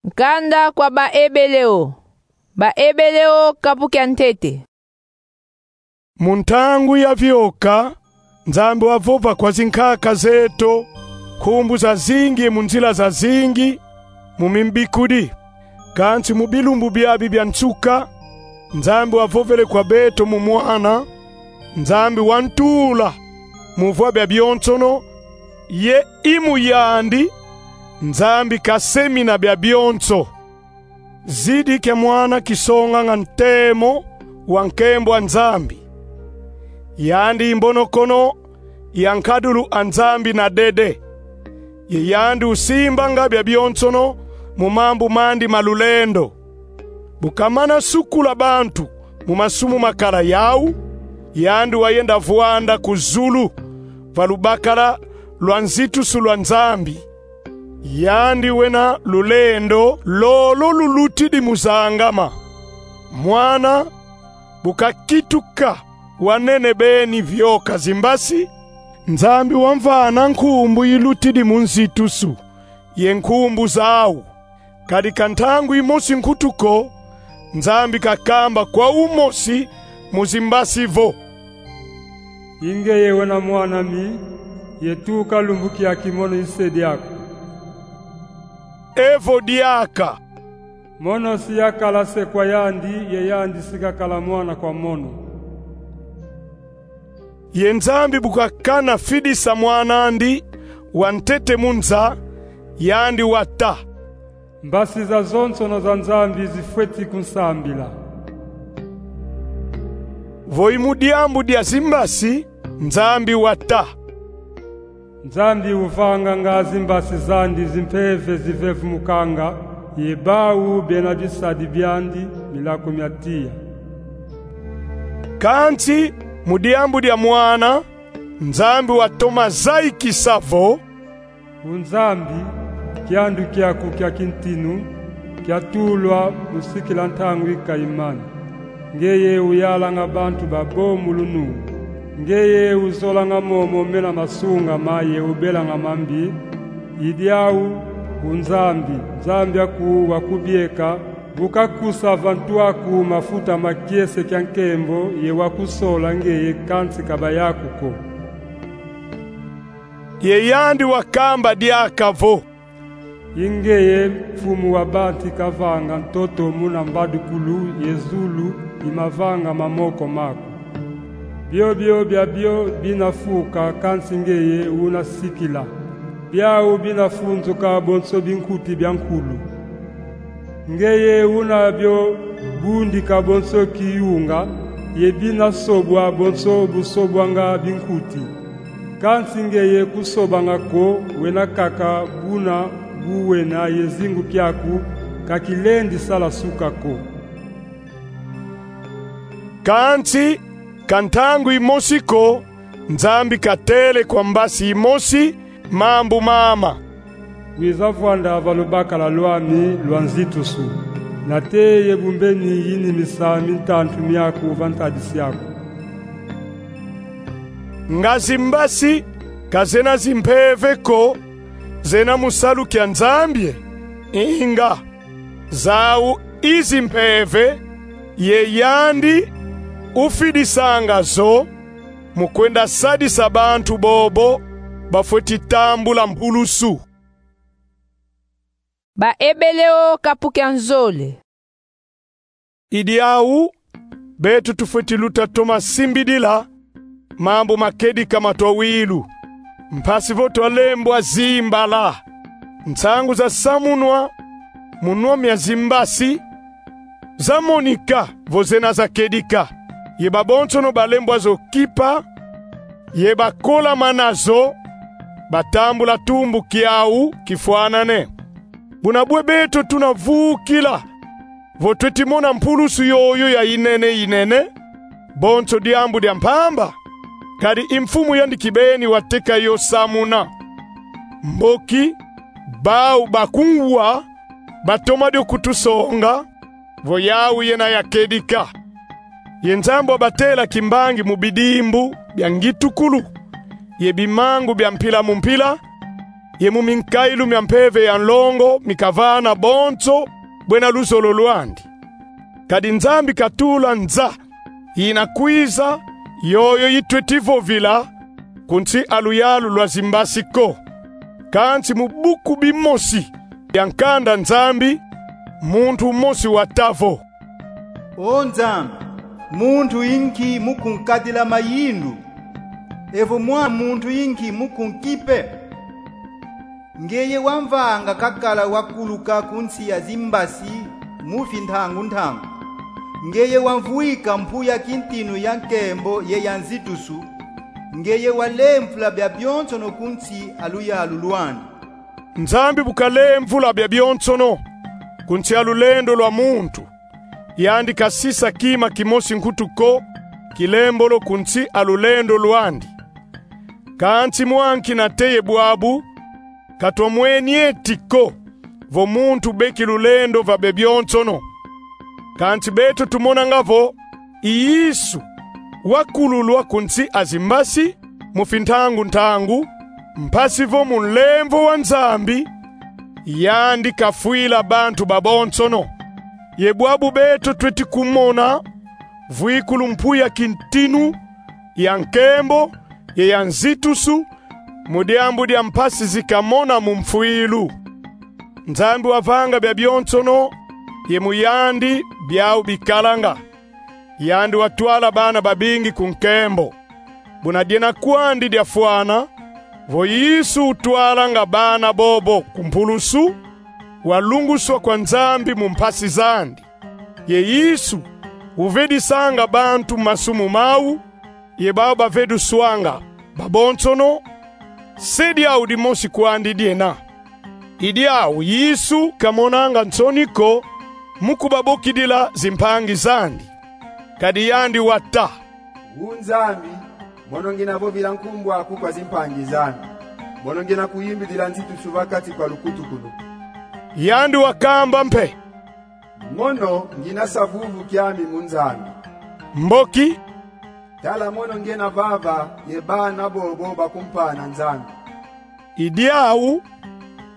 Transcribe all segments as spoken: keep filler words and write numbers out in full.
Nkanda kwa Baebeleo. Baebeleo, kapu kia ntete. Mu ntangu ya vioka, Nzambi wavova kwa zinkaka zeto, nkumbu zazingi ye mu nzila zazingi, mu mimbikudi. Kansi mu bilumbu biabi bia nsuka, Nzambi wavovele kwa beto mu Mwana, Nzambi wa ntula mu vwa bia bionsono, ye i mu yandi, Nzambi kasemina bia bionso. Zidi kia Mwana kisonganga ntemo wa nkembo a Nzambi. Yandi i mbonokono ya nkadulu a Nzambi na dede. Ye yandi usimbanga bia bionsono mu mambu mandi ma lulendo. Bu kamana sukula bantu mu masumu makala yau, yandi wayenda vwanda ku zulu, va lubakala lwa nzitusu lwa Nzambi. Yandi wena lulendo lolo lulutidi mu zangama. Mwana bu kakituka wanene beni vioka zimbasi, Nzambi wamvana nkumbu ilutidi mu nzitusu, ye nkumbu zau. Kadi ka ntangu imosi nkutu ko, Nzambi kakamba kwa umosi mu zimbasi vo: I ngeye wena Mwan'ami, ye tuka lumbu kiaki mono i se diaku. Evo diaka. Mono si yakala se kwa yandi, ye yandi si kakala mwana kwa mono. Ye Nzambi bu kakana fidisa Mwan'andi wa ntete mu nza, yandi wata: Mbasi zazonsono za Nzambi zifweti kunsambila. Vo i mu diambu dia zimbasi, Nzambi wata: Nzambi uvanganga zimbasi zandi zimpeve zivevumukanga, ye bau bena bisadi biandi milaku mia tiya. Kansi mu diambu dia Mwana, Nzambi watoma zayikisa vo: U Nzambi, kiandu kiaku kia kintinu kiatulwa mu sikila ntangu i kayimani. Ngeye uyalanga bantu babo mu lunungu. Ngeye uzolanga momo mena masungama ye ubelanga mambi. I diau, u Nzambi, Nzambi aku wa kubieka, bu kakusa va ntu aku mafuta ma kiese kia nkembo ye wa kusola ngeye, kansi ka bayaku ko. Ye yandi wakamba diaka vo: I ngeye Mfumu wa bantu kavanga ntoto muna mbadukulu, ye zulu i mavanga ma moko maku. Biobio biabio bina fuka, kansi ngeye una sikila. Biau bina funzuka bonso binkuti bia nkulu. Ngeye una bio bundika bonso kiyunga, ye bina sobwa bonso bu sobwanga binkuti. Kansi ngeye kusobanga ko, wena kaka buna bu wena, ye zingu kiaku ka kilendi sala suka ko. Kansi ka ntangu imosi ko, Nzambi katele kwa mbasi imosi mambu mama: Wiza vwanda va lubakala lwami lwa nzitusu, nate ye bu mbeni yinimisa mintantu miaku va ntadisi aku. Nga zimbasi ka zena zimpeve ko, zena mu salu kia Nzambi? Inga, zau i zimpeve, ye yandi ufidisanga zo, mu kwenda sadisa bantu bobo bafweti tambula mpulusu. Baebeleo, kapu kia nzole. I diau, beto tufweti luta toma simbidila mambu ma kedika ma twawilu, mpasi vo twalembwa zimbala. Nsangu zasamunwa mu nwa mia zimbasi zamonika vo zena za kedika, ye babonsono balembwa zo kipa, ye bakolamana zo, batambula tumbu kiau kifwanane. Buna bwe beto tuna vukila vo tweti mona mpulusu yoyo ya inene inene, bonso diambu dia mpamba, kadi i Mfumu yandi kibeni wateka yo samuna. Mboki bau bakunwa batoma dio kutusonga vo yau yena ya kedika. Ye Nzambi wabatela kimbangi mu bidimbu bia ngitukulu ye bimangu bia mpila mu mpila, ye mu minkailu mia mpeve ya nlongo mikavana bonso bwena luzolo lwandi. Kadi Nzambi katula nza yina kwiza, yoyo yitweti vovila ku nsi a luyalu lwa zimbasi ko. Kansi mu buku bimosi bia nkanda Nzambi, muntu umosi wata vo: O Nzambi, muntu inki mu kunkadila mayindu? Evo mwana muntu inki mu kunkipe? Ngeye wamvanga kakala wakuluka ku nsi ya zimbasi mu fintangu ntangu. Ngeye wamvwika mpu ya kintinu ya nkembo ye ya nzitusu. Ngeye walemvula bia bionsono ku nsi a luyalu lwandi. Nzambi bu kalemvula bia bionsono ku nsi a lulendo lwa muntu, yandi kasisa kima kimosi nkutu ko kilembolo ku nsi a lulendo lwandi. Kansi mwa nki nate ye bwabu, katwamweni eti ko vo muntu beki lulendo va bia bionsono. Kansi beto tumonanga vo i Yesu wakululwa ku nsi a zimbasi mu fintangu ntangu, mpasi vo mu nlemvo wa Nzambi, yandi kafwila bantu babonsono. Ye bwabu beto tweti kumona vwikulu mpu ya kintinu, ya nkembo ye ya nzitusu, mu diambu dia mpasi zi kamona mu mfwilu. Nzambi wavanga bia bionsono, ye mu yandi biau bikalanga. Yandi watwala bana babingi ku nkembo. Buna diena kwandi diafwana, vo Yesu utwalanga bana bobo ku mpulusu, walunguswa kwa Nzambi mu mpasi zandi. Ye Yesu uvedisanga bantu masumu mau, ye bau baveduswanga babonsono, se diau dimosi kwandi diena. I diau Yesu kamonanga nsoni ko mu kubabokidila zimpangi zandi. Kadi yandi wata: O Nzambi, mono ngina vovila nkumbu aku kwa zimpangi zami. Mono ngina kuyimbidila nzitusu va kati kwa lukutukunu. Yandi wakamba mpe: Mono ngina sa vuvu kiami mu Nzambi. Mboki: Tala mono ngena vava ye bana bobo bakumpana Nzambi. I diau,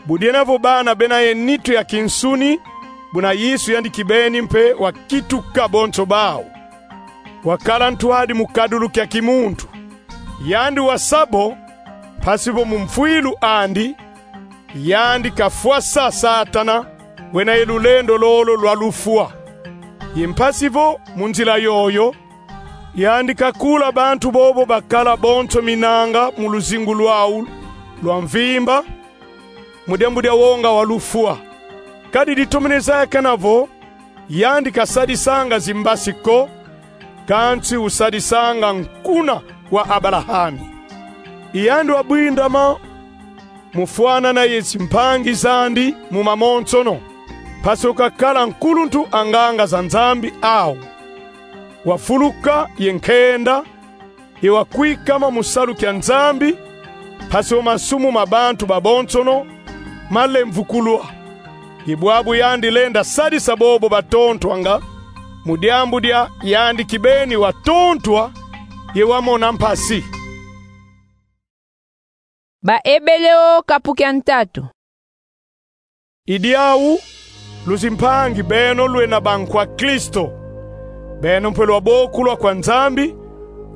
budiena vo bana bena ye nitu ya kinsuni, buna Yesu yandi kibeni mpe wakituka bonso bau. Wakala ntwadi mu kadulu kia kimuntu. Yandi wasa bo, mpasi vo mu mfwilu andi, yandi kafwasa Satana, wena ye lulendo lolo lwa lufwa. Ye mpasi vo mu nzila yoyo, yandi kakula bantu bobo bakala bonso minanga mu luzingu lwau lwa mvimba, mu diambu dia wonga wa lufwa. Kadi ditomene zayakana vo, yandi kasadisanga zimbasi ko, kansi usadisanga nkuna wa Abalahami. I yandi wabwindama mu fwanana ye zimpangi zandi mu mamonsono, mpasi vo kakala nkuluntu a nganga za Nzambi au. Wafuluka ye nkenda, ye wakwikama mu salu kia Nzambi, mpasi vo masumu ma bantu babonsono malemvukulwa. Ye bwabu yandi lenda sadisa bobo batontwanga, mu diambu dia yandi kibeni watontwa, ye wamona mpasi. Baebele o kapu kia ntatu. I diau, luzimpangi beno lwena bankwa Kristo, beno mpe lwabokulwa kwa Nzambi,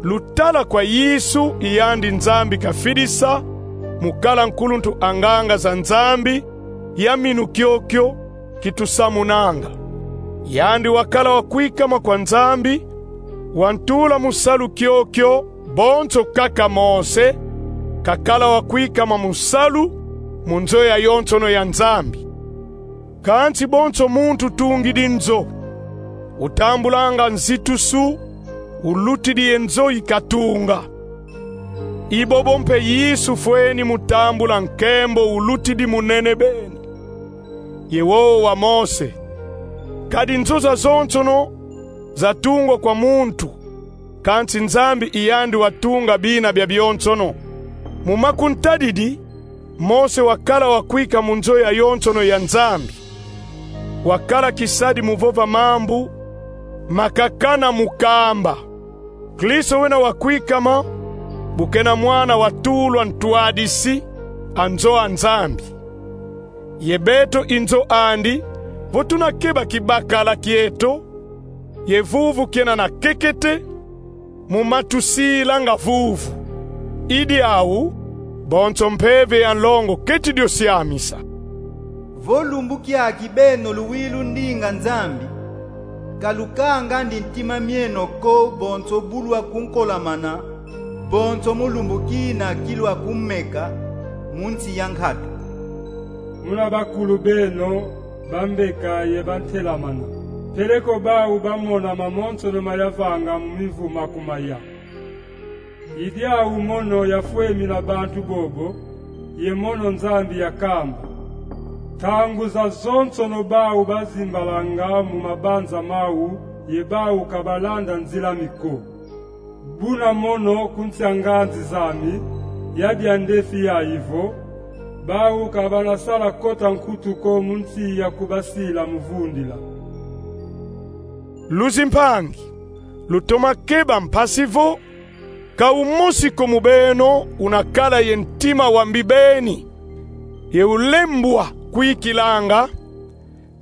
lutala kwa Yesu i yandi Nzambi kafidisa mu kala nkuluntu a nganga za Nzambi, ya minu kiokio kitusamunanga. Yandi wakala wakwikama kwa Nzambi, wantula mu salu kiokio bonso kaka Mose kakala wakwikama mu salu mu nzo yayonsono ya Nzambi. Kansi bonso muntu utungidi nzo, utambulanga nzitusu ulutidi ye nzo ikatunga. I bobo mpe Yesu fweni mu tambula nkembo ulutidi munene beni, ye wowo wa Mose. Kadi nzo zazonsono zatungwa kwa muntu, kansi Nzambi i yandi watunga bina bia bionsono. Mu makuntadidi, Mose wakala wakwika mu nzo yayonsono ya Nzambi. Wakala kisadi mu vova mambu makakana mu kamba. Kristo wena wakwikama, bu kena mwana watulwa ntwadisi, a nzo a Nzambi. Ye beto i nzo andi, vo tuna keba kibakala kieto, ye vuvu kiena na kekete, mu ma tusilanga vuvu. I diau, bonso mpeve ya nlongo keti dio siamisa. Vo lumbu kiaki beno luwilu ndinga Nzambi, ka lukangandi ntima mieno ko bonso bu lwakunkolamana, bonso mu lumbu kina ki lwakumeka, mu nsi ya nkatu. Muna bakulu beno bambeka ye bantelamana, peleko bau bamona mamonsono mayavanga mu mivuma ku maya. I diau mono yafwemina bantu bobo, ye mono Nzambi yakamba. Ntangu zazonsono bau bazimbalanga mu mabanza mau, ye bau ka balanda nzila mi ko. Buna mono ku nsi a nganzi zami, ya dia ndefi yayi vo, bau ka banasala kota nkutu ko mu nsi ya kubasila mu vundila. Luzimpangi, lutoma keba mpasi vo, ka umosi ko mu beno unakala ye ntima wa mbibeni, ye ulembwa kwikilanga,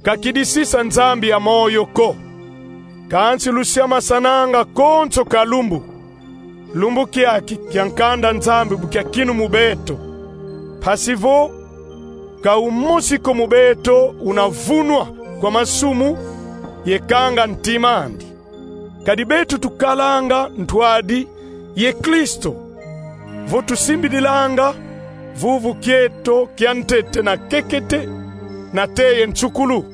ka kidisisa Nzambi ya moyo ko. Kansi lusiamasananga konso ka lumbu, lumbu kiaki kia nkanda Nzambi bu kiakinu mu beto. Mpasi vo, ka umosi ko mu beto unavunwa kwa masumu, ye kanga ntima andi. Kadi beto tukalanga ntwadi ye Kristo, vo tusimbidilanga vuvu kieto kia ntete na kekete, nate ye nsukulu,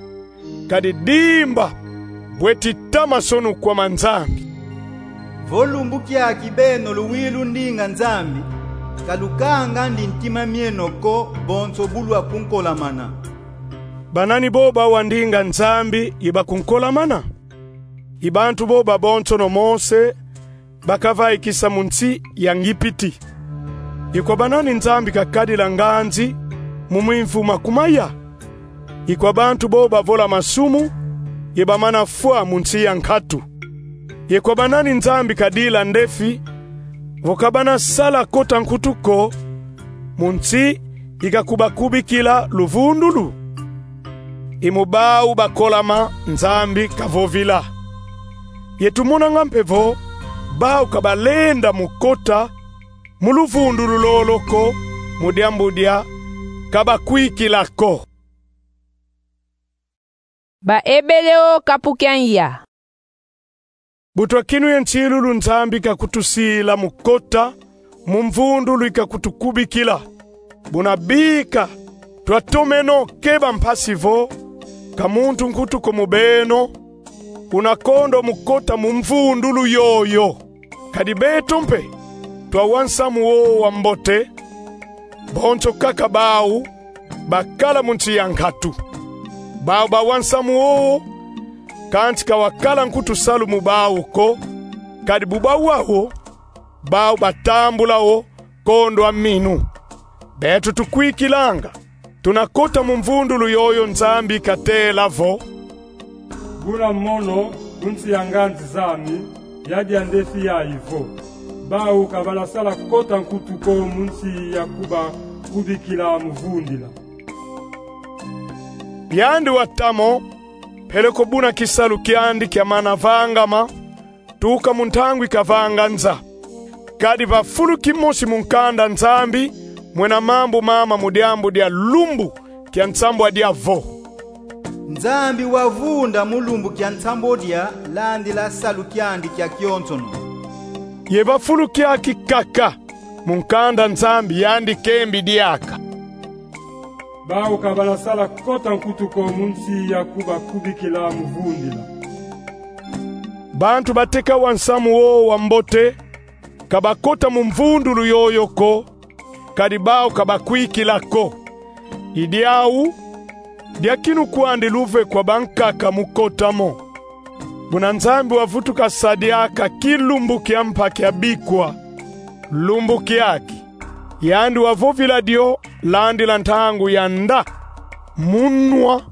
kadi dimba bweti tama sonu kwa ma Nzambi. Vo lumbu kiaki beno luwilu ndinga Nzambi, ka lukangandi ntima mieno ko bonso bu lwakunkolamana. Banani bo bawa ndinga Nzambi ye bakunkolamana? I bantu bo babonsono Mose bakavaikisa mu nsi ya Ngipiti. I kwa banani Nzambi kakadila nganzi mu mimvuma ku maya? I kwa bantu bo bavola masumu ye bamana fwa mu nsi ya nkatu. I kwa banani Nzambi kadila ndefi, vo ka banasala kota nkutu ko, mu nsi ikakubakubikila luvundulu? I mu bau bakolama Nzambi kavovila. Ye tumonanga mpe vo, bau ka balenda mu kota mu luvundulu lolo ko, mu diambu dia ka bakwikila ko. Baebele o kapu kia nza. Bu twakinu ye nsilulu, Nzambi kakutusila mu kota mu mvundulu ikakutukubikila. Buna bika, twatomeno keba mpasi vo, ka muntu nkutu ko mu beno unakondwa mu kota mu mvundulu yoyo. Kadi beto mpe twawa nsamu wowo wa mbote, bonso kaka bau bakala mu nsi ya nkatu. Bau bawa nsamu wowo, kansi ka wakala nkutu salu mu bau ko, kadi bu bawa wo, bau batambula wo kondwa minu. Beto tukwikilanga, tuna kota mu mvundulu yoyo Nzambi katela vo: Buna mono, ku nsi ya nganzi zami, ya dia ndefi yayi vo, bau ka banasala kota nkutu ko mu nsi ya kubakubikila mu vundila. Yandi watamo, peleko buna kisalu kiandi kiamana vangama, tuka mu ntangu ikavanga nza. Kadi va fulu kimosi mu nkanda Nzambi, mwena mambu mama mu diambu dia lumbu kia nsambwadia vo: Nzambi wavunda mu lumbu kia nsambwadia, landila salu kiandi kia kionsono. Ye va fulu kiaki kaka mu nkanda Nzambi yandi kembi diaka: Bau ka banasala kota nkutu ko mu nsi ya kubakubikila mu vundila. Bantu bateka wa nsamu wowo wa mbote ka bakota mu mvundulu yoyo ko, kadi bau ka bakwikila ko. I diau, diakinu kwandi luve kwa bankaka mu kota mo. Buna Nzambi wavutuka sa diaka kilumbu kia mpa kia bikwa. Lumbu kiaki, yandi wavovila dio landila ntangu ya nda, mu nwa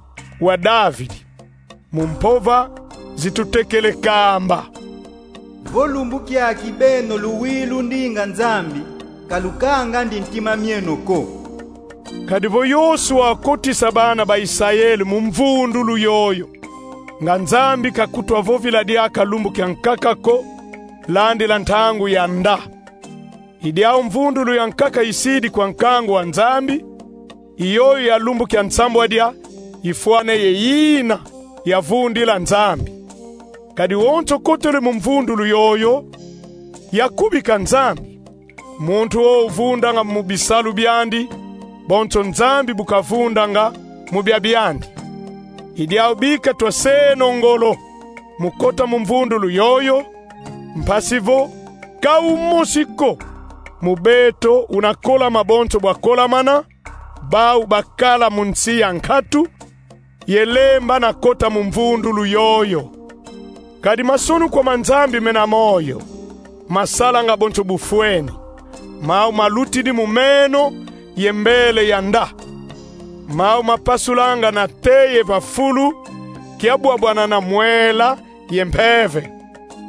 wa Davidi, mu mpova zitutekele kamba: Vo lumbu kiaki beno luwilu ndinga Nzambi, ka lukangandi ntima mieno ko. Kadi vo Yosua wakotisa bana ba Isayele mu mvundulu yoyo, nga Nzambi kakutwa vovila diaka lumbu kia nkaka ko, landila ntangu ya nda. I diau mvundulu ya nkaka isidi kwa nkangu wa Nzambi, i yoyo ya lumbu kia nsambwadia ifwana ye yina yavundila Nzambi. Kadi wonso kotele mu mvundulu yoyo, yakubika Nzambi. Muntu wowo uvundanga mu bisalu biandi, bonso Nzambi bu kavundanga mu bia biandi. I diau bika twaseno ngolo mu kota mu mvundulu yoyo, mpasi vo ka umosi ko mu beto una kolama bonso bwa kolamana, bau bakala mu nsi ya nkatu, ye lemba na kota mu mvundulu yoyo. Kadi masonukwa ma Nzambi mena moyo masalanga bonso bufweni. Mau malutidi mu meno ye mbele ya nda. Mau mapasulanga nate ye va fulu, kiabwabwana na mwela ye mpeve,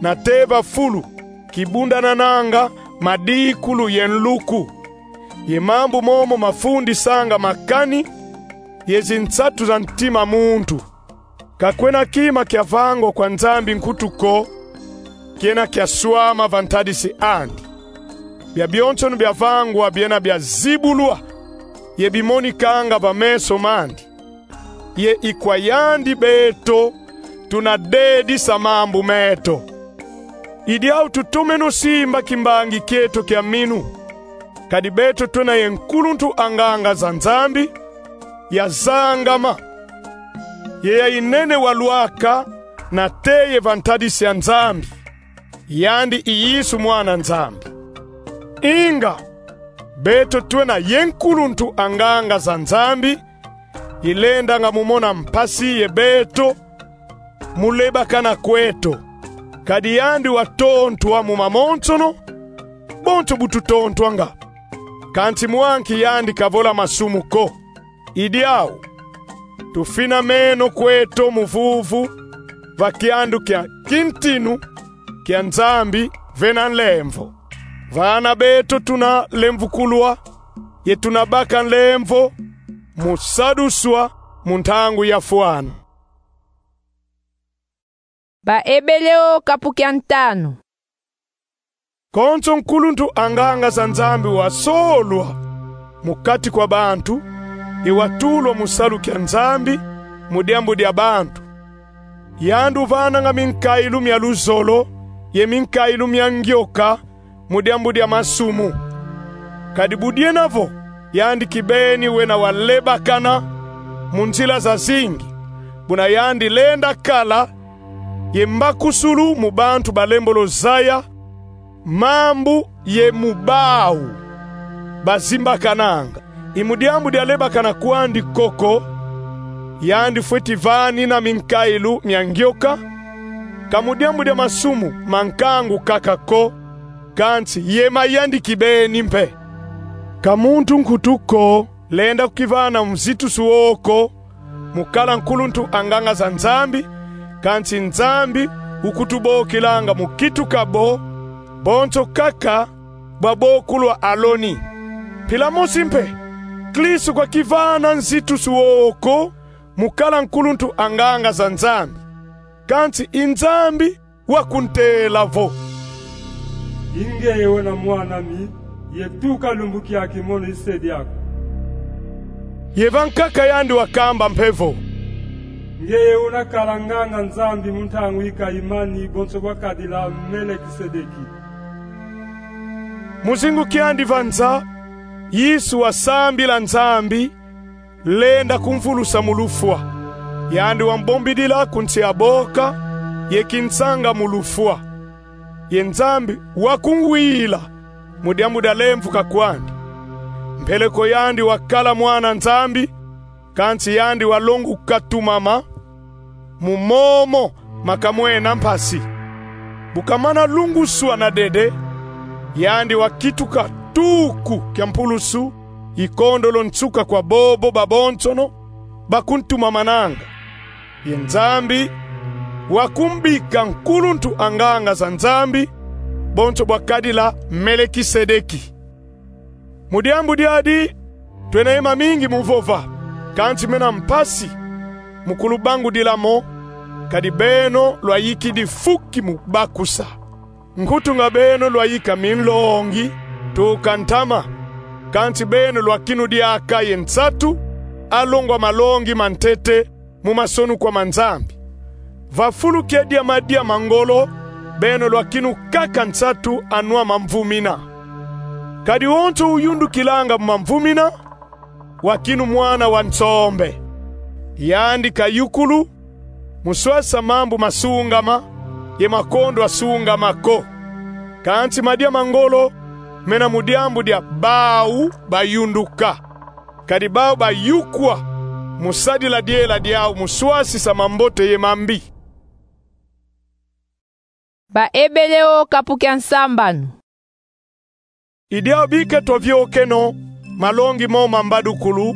nate va fulu kibundanananga madikulu ye nluku. Ye mambu momo mafundisanga makani ye zinsatu za ntima muntu. Ka kwena kima kiavangwa kwa Nzambi nkutu ko kiena kiaswama va ntadisi andi. Bia bionsono biavangwa biena biazibulwa ye bimonikanga va meso mandi. Ye i kwa yandi beto tuna dedisa mambu meto. I diau tutomeno simba kimbangi kieto kia minu. Kadi beto twena ye nkuluntu a nganga za Nzambi, yazangama, ye ya inene wa lwaka nate ye va ntadisi a Nzambi. Yandi i Yesu, Mwana Nzambi. Inga, beto twena ye nkuluntu a nganga za Nzambi, ilendanga mu mona mpasi ye beto mu lebakana kweto. Kadi yandi watontwa mu mamonsono, bonso bu tutontwanga. Kansi mwa nki yandi kavola masumu ko. I diau, tufina meno kweto mu vuvu va kiandu kia kintinu kia Nzambi vena nlemvo. Vana beto tuna lemvukulwa, ye tuna baka nlemvo mu saduswa mu ntangu yafwana. Baebeleo kapu kia ntanu. Konso nkuluntu a nganga za Nzambi wasolwa mu kati kwa bantu, ye watulwa mu salu kia Nzambi mu diambu dia bantu. Yandi uvananga minkailu mia luzolo ye minkailu mia ngioka mu diambu dia masumu. Kadi bu diena vo yandi kibeni wena walebakana mu nzila zazingi, buna yandi lenda kala ye mbakusulu mu bantu balembolo zaya mambu ye mu bau bazimbakananga. I mu diambu dia lebakana kwandi koko yandi fweti vanina minkailu mia ngioka, ka mu diambu dia masumu ma nkangu kaka ko, kansi ye ma yandi kibeni mpe. Ka muntu nkutu ko lenda kukivana mu zitusu wowo ko mu kala nkuluntu a nganga za Nzambi, kansi Nzambi ukutubokilanga mu kituka bo, bonso kaka bwa bokulwa Aloni. Mpila mosi mpe, Kristu kwakivana nzitusu wowo ko mu kala nkuluntu a nganga za Nzambi. Kansi i Nzambi wakuntela vo: I ngeye wena mwan'ami, ye tuka lumbu kiaki mono i se diaku. Ye vankaka yandi wakamba mpe vo: Ngeye una kala nganga Nzambi mu ntangu i Kaimani, bonso bwa kadila Melekisedeki. Mu zingu kiandi va nza, Yesu wasambila Nzambi, lenda kumvulusa mu lufwa. Yandi wambombidila ku nsi a boka, ye kinsanga mu lufwa. Ye Nzambi wakumvwila mu diambu dia lemvuka kwandi. Mpeleko yandi wakala mwana Nzambi, kansi yandi walonguka tumama, mu momo makamwena mpasi. Bu kamana lunguswa na dede, yandi wakituka tuku kia mpulusu, i kondolo nsuka kwa bobo babonsono bakuntumamananga. Ye Nzambi wakumbika nkuluntu a nganga za Nzambi, bonso bwa kadila Melekisedeki. Mu diambu diadi, Twena ye mamingi mu vova, kansi mena mpasi mu kulubangudila mo, kadi beno lwayikidi fuki mu bakusa. Nkutu nga beno lwayika minlongi, tuka ntama, kansi beno lwakinu diaka ye nsatu alongo a malongi mantete mu masonukwa ma Nzambi. Va fulu kia dia madia ma ngolo, beno lwakinu kaka nsatu anwa mamvumina. Kadi wonso uyundukilanga mu mamvumina, wakinu mwana wa nsombe. Yandi kayukulu mu swasa mambu masungama ye makondwa sungama ko. Kansi madia ma ngolo mena mu diambu dia bau bayunduka, kadi bau bayukwa mu sadila diela diau mu swasisa mambote ye mambi. Baebele o kapu kia nsambanu. I diau bika twaviokeno malongi mo ma mbadukulu,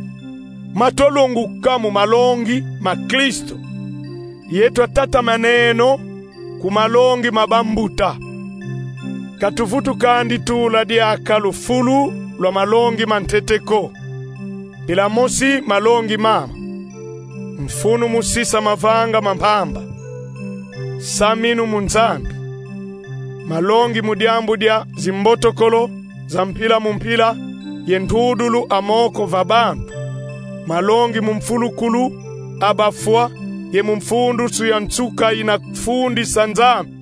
matwalonguka mu malongi ma Kristo, ye twatatamaneno ku malongi ma bambuta. Ka tuvutukandi tula diaka lufulu lwa malongi mantete ko. Mpila mosi malongi mama: mfunu mu sisa mavanga ma mpamba, saminu mu Nzambi, malongi mu diambu dia zimbotokolo za mpila mu mpila ye ntudulu a moko va bantu, malongi mu mfulukulu a bafwa ye mu mfundusu ya nsuka ina fundisa Nzambi,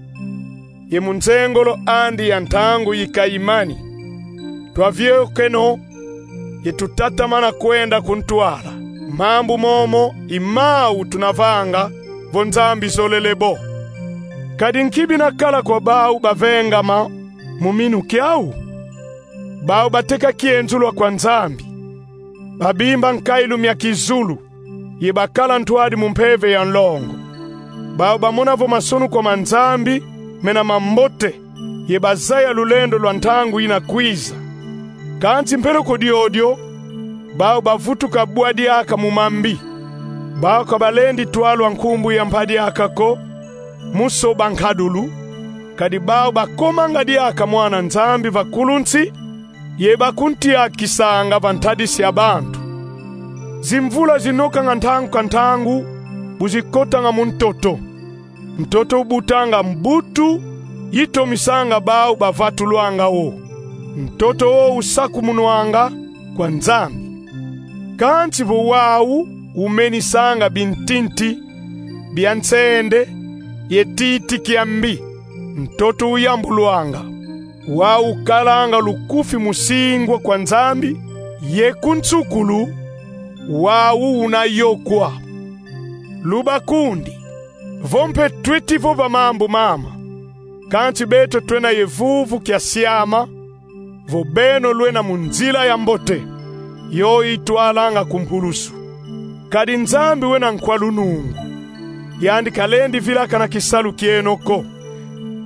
ye mu nzengolo andi ya ntangu yi kayimani. Twaviokeno ye tutatamana kwenda ku ntwala. Mambu momo i mau tuna vanga vo Nzambi zolele bo. Kadi nki bina kala kwa bau bavengama mu minu kiau? Bau bateka kienzulu kwa Nzambi, babimba nkailu mia kizulu, ye bakala ntwadi mu mpeve ya nlongo. Bau bamona vo masonukwa ma Nzambi mena mambote, ye bazaya lulendo lwa ntangu ina kwiza. Kansi mpelo ko diodio, bau bavutuka bwa diaka mu mambi. Bau ka balendi twalwa nkumbu ya mpa diaka ko, mu soba nkadulu, kadi bau bakomanga diaka mwana Nzambi va kulu nsi, ye bakuntiakisanga va ntadisi ya bantu. Zimvula zinokanga ntangu ka ntangu, bu zikotanga mu ntoto. Ntoto ubutanga mbutu yitomisanga bau bavatulwanga wo. Ntoto wo usakumunwanga kwa Nzambi. Kansi vo wau umenisanga bintinti bia nsende ye titi kia mbi, ntoto uyambulwanga. Wau ukalanga lukufi mu singwa kwa Nzambi, ye ku nsukulu wau una yokwa. Lubakundi, vo mpe tweti vova mambu mama, kansi beto twena ye vuvu kia siama vo beno lwena mu nzila ya mbote, yo itwalanga ku mpulusu. Kadi Nzambi wena nkwa lunungu, yandi kalendi vilakana kisalu kieno ko.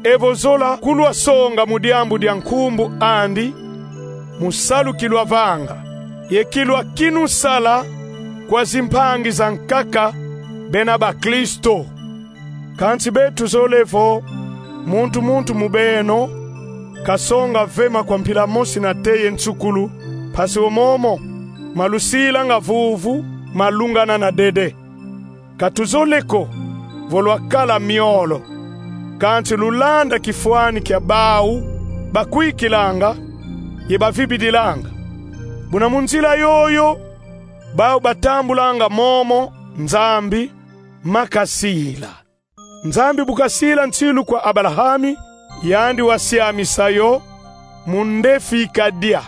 Evo zola kulwasonga mu diambu dia nkumbu andi, mu salu kilwavanga, ye kilwakinu sala kwa zimpangi zankaka bena bakristo. Kansi beto tuzole vo muntu muntu mu beno kasonga vema kwa mpila mosi nate ye nsukulu, mpasi wo momo malusilanga vuvu malungana na dede. Ka tuzole ko vo lwakala miolo, kansi lulanda kifwani kia bau bakwikilanga ye bavibidilanga. Buna mu nzila yoyo bau batambulanga momo Nzambi makasila. Nzambi bu kasila nsilu kwa Abalahami, yandi wasiamisa yo mu ndefi kadia.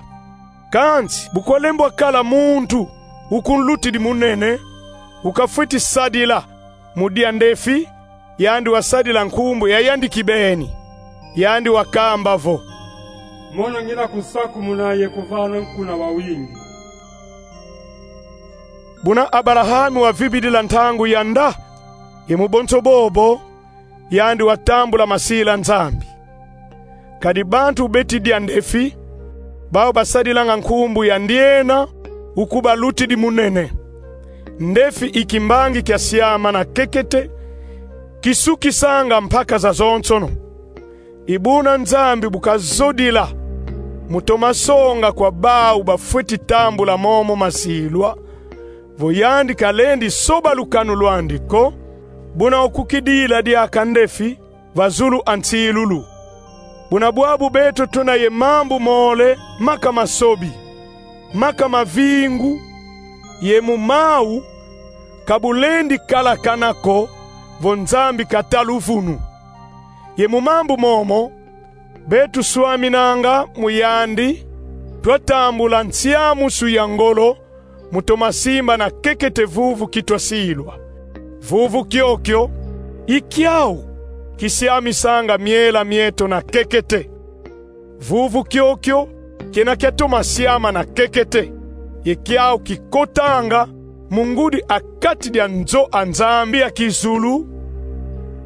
Kansi bu kwalembwa kala muntu ukunlutidi munene, ukafweti sadila mu dia ndefi, yandi wasadila nkumbu ya yandi kibeni. Yandi wakamba vo: Mono ngina kusakumuna ye kuvana nkuna wawingi. Buna Abalahami wavibidila ntangu ya nda, ye mu bonso bobo, yandi watambula masila Nzambi. Kadi bantu beti dia ndefi, bau basadilanga nkumbu ya ndiena ukubalutidi munene. Ndefi i kimbangi kia siama na kekete, kisukisanga mpaka zazonsono. I buna Nzambi bu kazodila mu toma songa kwa bau bafweti tambula momo masilwa, vo yandi kalendi soba lukanu lwandi ko, buna okukidila diaka ndefi va zulu a nsilulu. Buna bwabu beto tuna ye mambu mole maka masobi, maka mavingu, ye mu mau ka bulendi kalakana ko vo Nzambi kata luvunu. Ye mu mambu momo, beto swaminanga mu yandi, twatambula nsiamusu ya ngolo, mu toma simba na kekete vuvu kitwa silwa. Vuvu kiokio i kiau kisiamisanga miela mieto na kekete. Vuvu kiokio kena kiatoma siama na kekete, ye kiau kikotanga mu ngudi a kati dia nzo a Nzambi ya kizulu,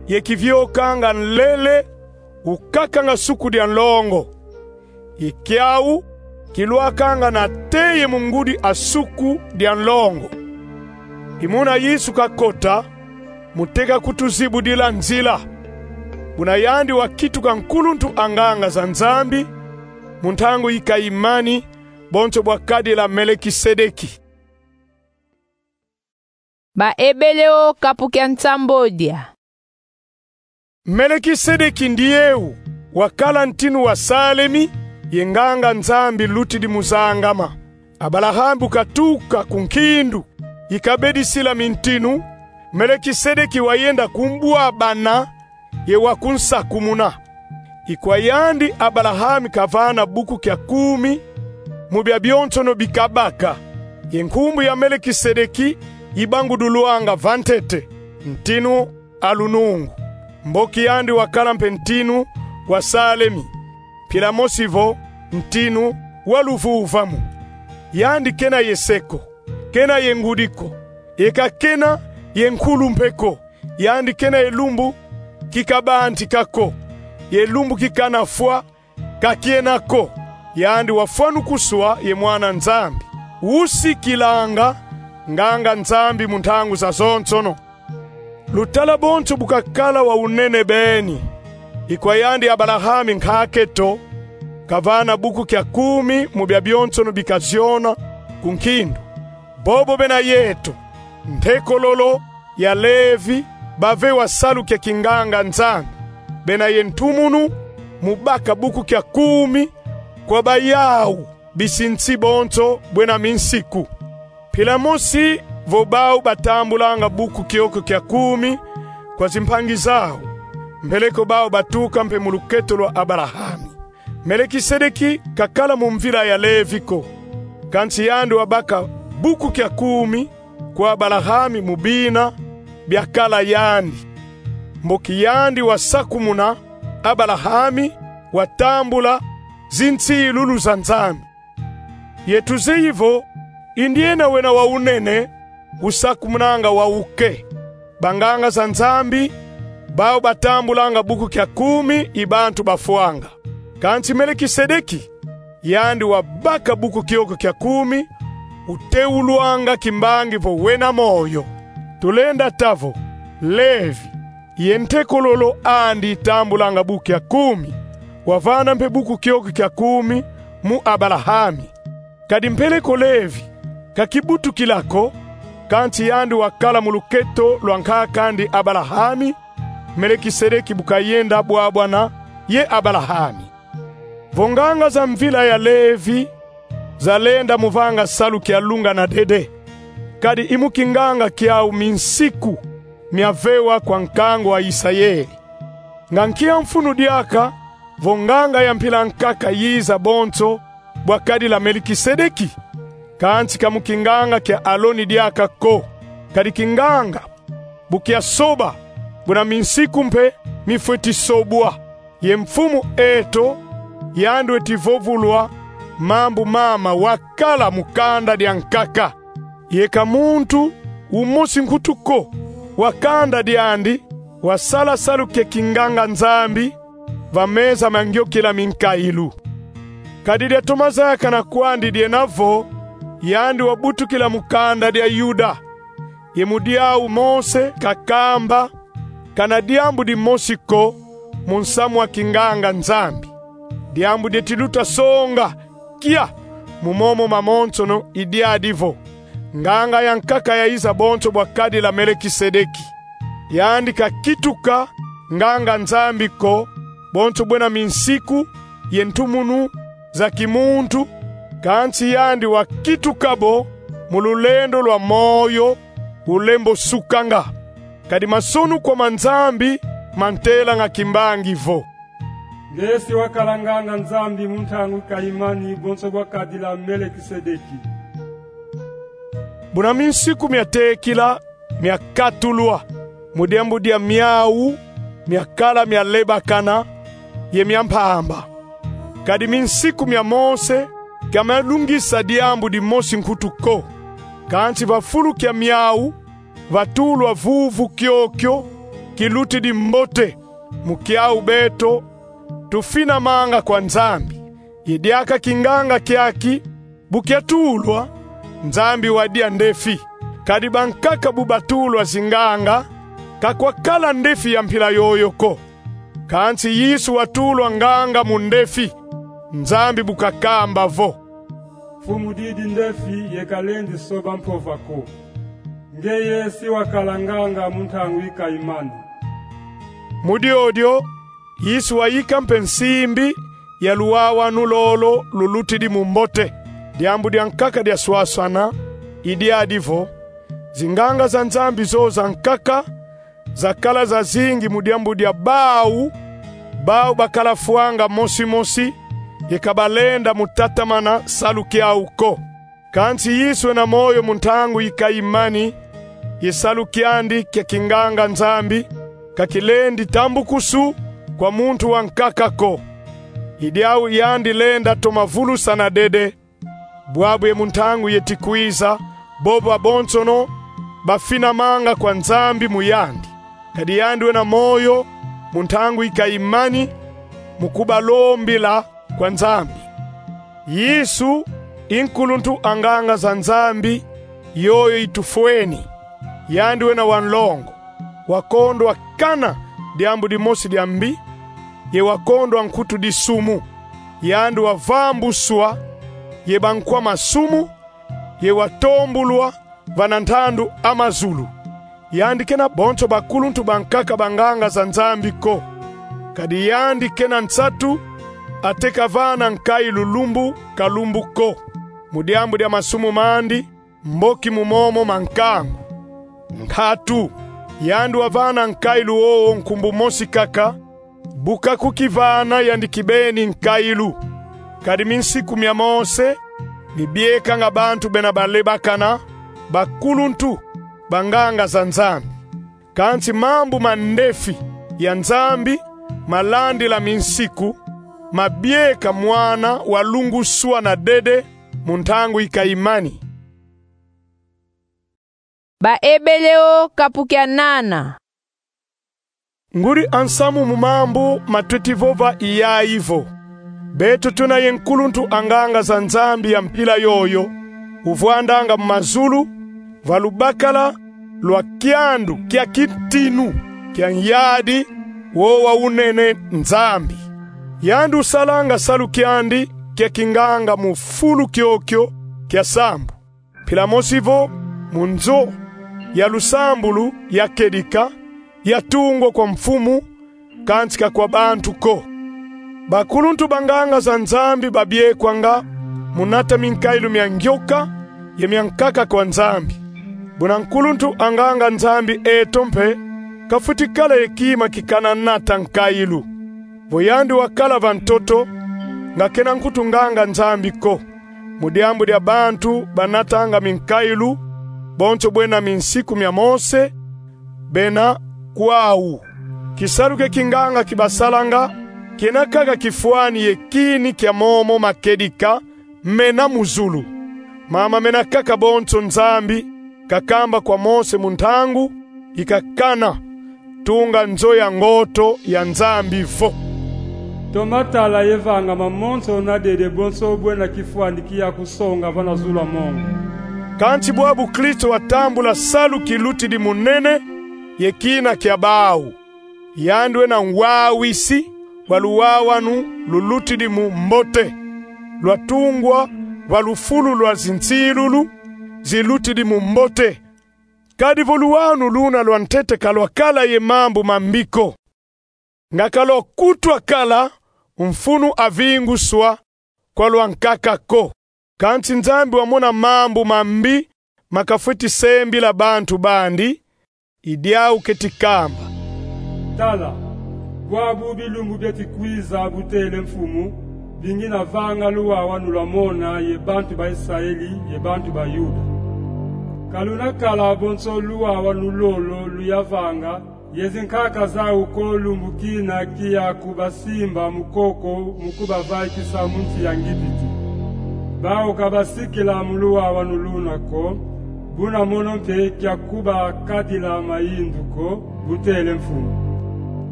ye kiviokanga nlele ukakanga suku dia nlongo. Ye kiau kilwakanga na teye mu ngudi a suku dia nlongo. I muna Yesu kakota, mu teka kutuzibudila nzila. Buna yandi wakituka nkuluntu a nganga za Nzambi, mu ntangu yi kayimani, bonso bwa kadila Melekisedeki. Baebele o kapu kia nsambodia. Melekisedeki ndieu wakala ntinu wa Salemi, ye nganga Nzambi lutidi mu zangama. Abalahame bu katuka ku nkindu yi kabedisila mintinu, Melekisedeki wayenda ku mbwabana ye wa kunsakumuna. I kwa yandi Abalahame kavana buku kia kumi mu bia bionsono bi kabaka. Ye nkumbu ya Melekisedeki ibangudulwanga va ntete, ntinu a lunungu. Mboki yandi wakala mpe ntinu wa Salemi, mpila mosi vo ntinu wa luvuvamu. Yandi kena ye se ko, kena ye ngudi ko, ye ka kena ye nkulu mpe ko. Yandi kena ye lumbu ki kabantika ko, ye lumbu ki kanafwa ka kiena ko. Yandi wafwanukuswa ye Mwana Nzambi, usikilanga nganga Nzambi mu ntangu zazonsono. Lutala bonso bu kakala wa unene beni. I kwa yandi Abalahame nkake to, kavana buku kia kumi mu bia bionsono bi kaziona ku nkindu. Bobo bena yeto, ntekololo ya Levi, bavewa salu kia kinganga Nzambi, bena ye ntumunu mu baka buku kia kumi kwa bayau bisinsi bonso bwena minsiku. Mpila mosi vo bau batambulanga buku kiokio kia kumi kwa zimpangi zau, mbeleko bau batuka mpe mu luketo lwa Abalahame. Melekisedeki kakala mu mvila ya Levi ko, kansi yandi wabaka buku kia kumi kwa Abalahame mu bina biakala yandi. Mboki yandi wasakumuna, Abalahame watambula zinsilulu za Nzambi. Ye tuzeyi vo i ndiena wena wa unene usakumunanga wa uke. Banganga za Nzambi, bau batambulanga buku kia kumi i bantu bafwanga. Kansi Melekisedeki, yandi wabaka buku kiokio kia kumi, uteulwanga kimbangi vo wena moyo. Tulenda ta vo Levi, ye ntekololo andi itambulanga buku kia kumi, wavana mpe buku kiokio kia kumi mu Abalahame. Kadi mpeleko Levi ka kibutukila ko, kansi yandi wakala mu luketo lwa nkak'andi Abalahame, Melekisedeki bu kayenda bwabwana ye Abalahame. Vo nganga za mvila ya Levi zalenda mu vanga salu kia lunga na dede, kadi i mu kinganga kiau minsiku mia vewa kwa nkangu wa Isayele. Nga nkia mfunu diaka vo nganga ya mpila nkaka yiza bonso bwa kadila Melekisedeki? Kansi ka mu kinganga kia Aloni diaka ko, kadi kinganga bu kia soba, buna minsiku mpe mifweti sobwa. Ye mfumu eto, yandi weti vovulwa mambu mama wakala mu kanda dia nkaka. Ye ka muntu umosi nkutu ko wa kanda diandi wasala salu kia kinganga-Nzambi va meza ma ngiokila minkailu. Kadi diatoma zayakana kwandi diena vo yandi wabutukila mu kanda dia Yuda, ye mu diau Mose kakamba kana diambu dimosi ko mu nsamu wa kinganga-Nzambi. Diambu dieti luta songa kia mu momo mamonsono i diadi vo: nganga ya nkaka yayiza bonso bwa kadila Melekisedeki. Yandi kakituka nganga-Nzambi ko, bonso bwena minsiku ye ntumunu za kimuntu, kansi yandi wakituka bo mu lulendo lwa moyo ulembo sukanga. Kadi masonukwa ma Nzambi mantelanga kimbangi vo: Nge si wakala nganga-Nzambi mu ntangu i kayimani bonso bwa kadila Melekisedeki. Buna minsiku mia tekila mia katulwa mu diambu dia miau mia kala mia lebakana ye mia mpamba. Kadi minsiku mia Mose ka mialungisa diambu dimosi nkutu ko. Kansi va fulu kia miau vatulwa vuvu kiokio kilutidi mbote mu kiau beto tufinamanga kwa Nzambi. Ye diaka kinganga kiaki bu kiatulwa, Nzambi wadia ndefi. Kadi bankaka bu batulwa zinganga, ka kwakala ndefi ya mpila yoyo ko. Kansi Yesu watulwa nganga mu ndefi, Nzambi bu kakamba vo: Mfumu didi ndefi ye kalendi soba mpova ko. Ngeye si wakala nganga mu ntangu i kayimani. Mu diodio, Yesu wayika mpe nsimbi ya luwawanu lolo lulutidi mu mbote. Diambu dia nkaka diaswaswana i diadi vo: zinganga za Nzambi zo za nkaka zakala zazingi mu diambu dia bau, bau bakala fwanga mosi mosi, ye ka balenda mu tatamana salu kiau ko. Kansi Yesu wena moyo mu ntangu i kayimani, ye salu kiandi kia kinganga-Nzambi ka kilendi tambukusu kwa muntu wa nkaka ko. I diau yandi lenda toma vulusana dede. Bwabu ye mu ntangu yeti kwiza, bobo babonsono bafinamanga kwa Nzambi mu yandi. Kadi yandi wena moyo mu ntangu i kayimani mu kubalombila kwa Nzambi. Yesu i nkuluntu a nganga za Nzambi yoyo itufweni. Yandi wena wa nlongo, wakondwa kana diambu dimosi dia mbi, ye wakondwa nkutu disumu. Yandi wavambuswa ye bankwa masumu, ye watombulwa vana ntandu a mazulu. Yandi kena bonso bakuluntu bankaka banganga za Nzambi ko. Kadi yandi kena nsatu ateka vana nkailu lumbu ka lumbu ko, mu diambu dia masumu mandi, mboki mu momo mankangu. Nkatu, yandi wavana nkailu wowo nkumbu mosi kaka, bu kakukivana yandi kibeni nkailu. Kadi minsiku mia Mose mibiekanga bantu bena balebakana bakuluntu banganga za Nzambi. Kansi mambu ma ndefi ya Nzambi malandila minsiku, mabieka mwana walunguswana dede mu ntangu i kayimani. Baebeleo kapu kia nana. Ngudi a nsamu mu mambu matweti vova i yayi vo: beto tuna ye nkuluntu a nganga za Nzambi ya mpila yoyo, uvwandanga mu mazulu, va lubakala lwa kiandu kia kintinu kia Nyadi wowa unene Nzambi. Yandi usalanga salu kiandi kia kinganga mu fulu kiokio kia sambu. Mpila mosi vo mu nzo ya lusambulu ya kedika, yatungwa kwa mfumu, kansi ka kwa bantu ko. Bakuluntu banganga za Nzambi babiekwanga mu nata minkailu mia ngioka ye mia nkaka kwa Nzambi. Buna nkuluntu a nganga Nzambi eto mpe kafwiti kala ye kima kikana nata nkailu. Vo yandi wakala va ntoto, nga kena nkutu nganga Nzambi ko. Mu diambu dia bantu banatanga minkailu, bonso bwena minsiku mia Mose, bena kwau. Kisalu kia kinganga kibasalanga, kena kaka kifwani ye kini kia momo makedika mena mu zulu. Mama mena kaka bonso Nzambi kakamba kwa Mose mu ntangu i kakana: Tunga nzo ya ngoto ya Nzambi vo. Toma tala ye vanga mamonso na dede bonso bwena kifwani kiyakusonga vana zulu a mongo. Kansi bwabu Kristo watambula salu kilutidi mu nene ye kina kia bau. Yandi wena ngwawisi va luwawanu lulutidi mu mbote, lwatungwa va lufulu lwa zinsilulu zilutidi mu mbote. Kadi vo luwawanu luna lwa ntete ka lwakala ye mambu mambi ko, nga ka lwakutwa kala mfunu a vinguswa kwa lwankaka ko. Kansi Nzambi wamona mambu mambi ma kafweti sembila bantu bandi, i diau keti kamba: Tala, bwabu bilumbu bieti kwiza, bu tele Mfumu, bi ngina vanga luwawanu lwa mona ye bantu ba Israeli ye bantu ba Yuda. Ka luna kala bonso luwawanu lolo luya vanga ye zinkaka zau ko, lumbu kina kiya kubasimba mu koko mu kubavaikisa mu nsi ya Ngipiti. Bau ka basikila mu luwawanu luna ko, buna mono mpe kia kubakadila mayindu ko, bu tele Mfumu.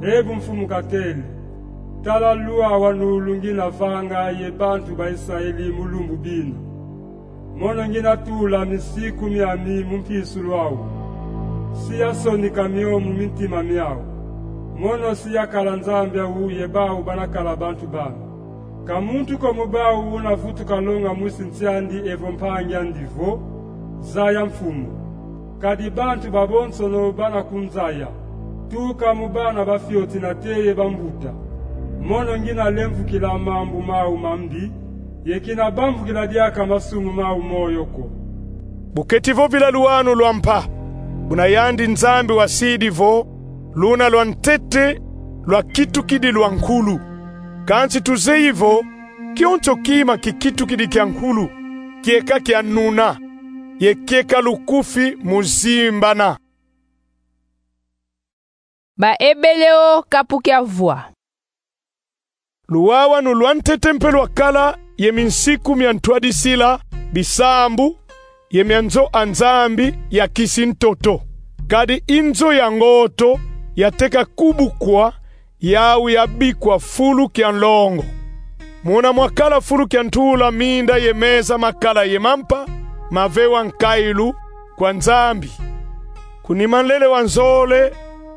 E bu Mfumu katele: Tala luwawanu lu ngina vanga ye bantu ba Israeli mu lumbu bina. Mono ngina tula minsiku miami mu mpisulu au. Si yasonika mio mu mintima miau. Mono si yakala Nzambi au ye bau bana kala bantu bami. Ka muntu ko mu bau una vutuka longa mwisi nsi andi evo mpangi andi vo: Zaya Mfumu. Kadi bantu babonsono bana kunzaya, tuka mu bana ba fioti nate ye bambuta. Mono ngina lemvukila mambu mau mambi, ye kina bambukila diaka masumu mau moyo ko. Bu keti vovila luwawanu lwa mpa, buna yandi Nzambi wasidi vo luna lwa ntete lwakitukidi lwa nkulu. Kansi tuzeyi vo kionso kima kikitukidi kia nkulu, kieka kia nuna, ye kieka lukufi mu zimbana. Baebeleo kapu kia vwa. Luwawanu lwa ntete mpe lwakala ye minsiku mia ntwadisila bisambu ye mia nzo a Nzambi ya kisi ntoto. Kadi i nzo ya ngoto yateka kubukwa, yau yabikwa fulu kia nlongo. Muna mwakala fulu kia ntula minda ye meza makala ye mampa mavewa nkailu kwa Nzambi. Ku nima nlele wa nzole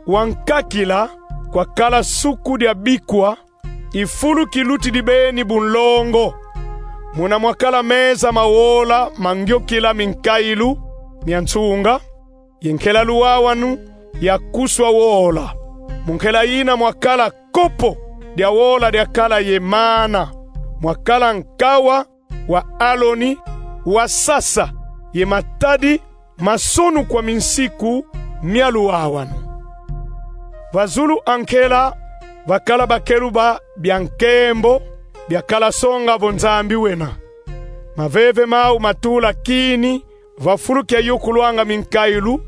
wa nkakila kwakala suku dia bikwa i fulu kilutidi beni bu nlongo. Muna mwakala meza ma wola mangiokila minkailu mia nsunga, ye nkela luwawanu yakuswa wola. Mu nkela yina mwakala kopo dia wola diakala ye mana, mwakala nkawa wa Aloni wasasa ye matadi masonukwa minsiku mia luwawanu. Va zulu a nkela vakala bakeluba bia nkembo, biakala songa vo Nzambi wena. Maveve mau matula kini va fulu kia yokulwanga minkailu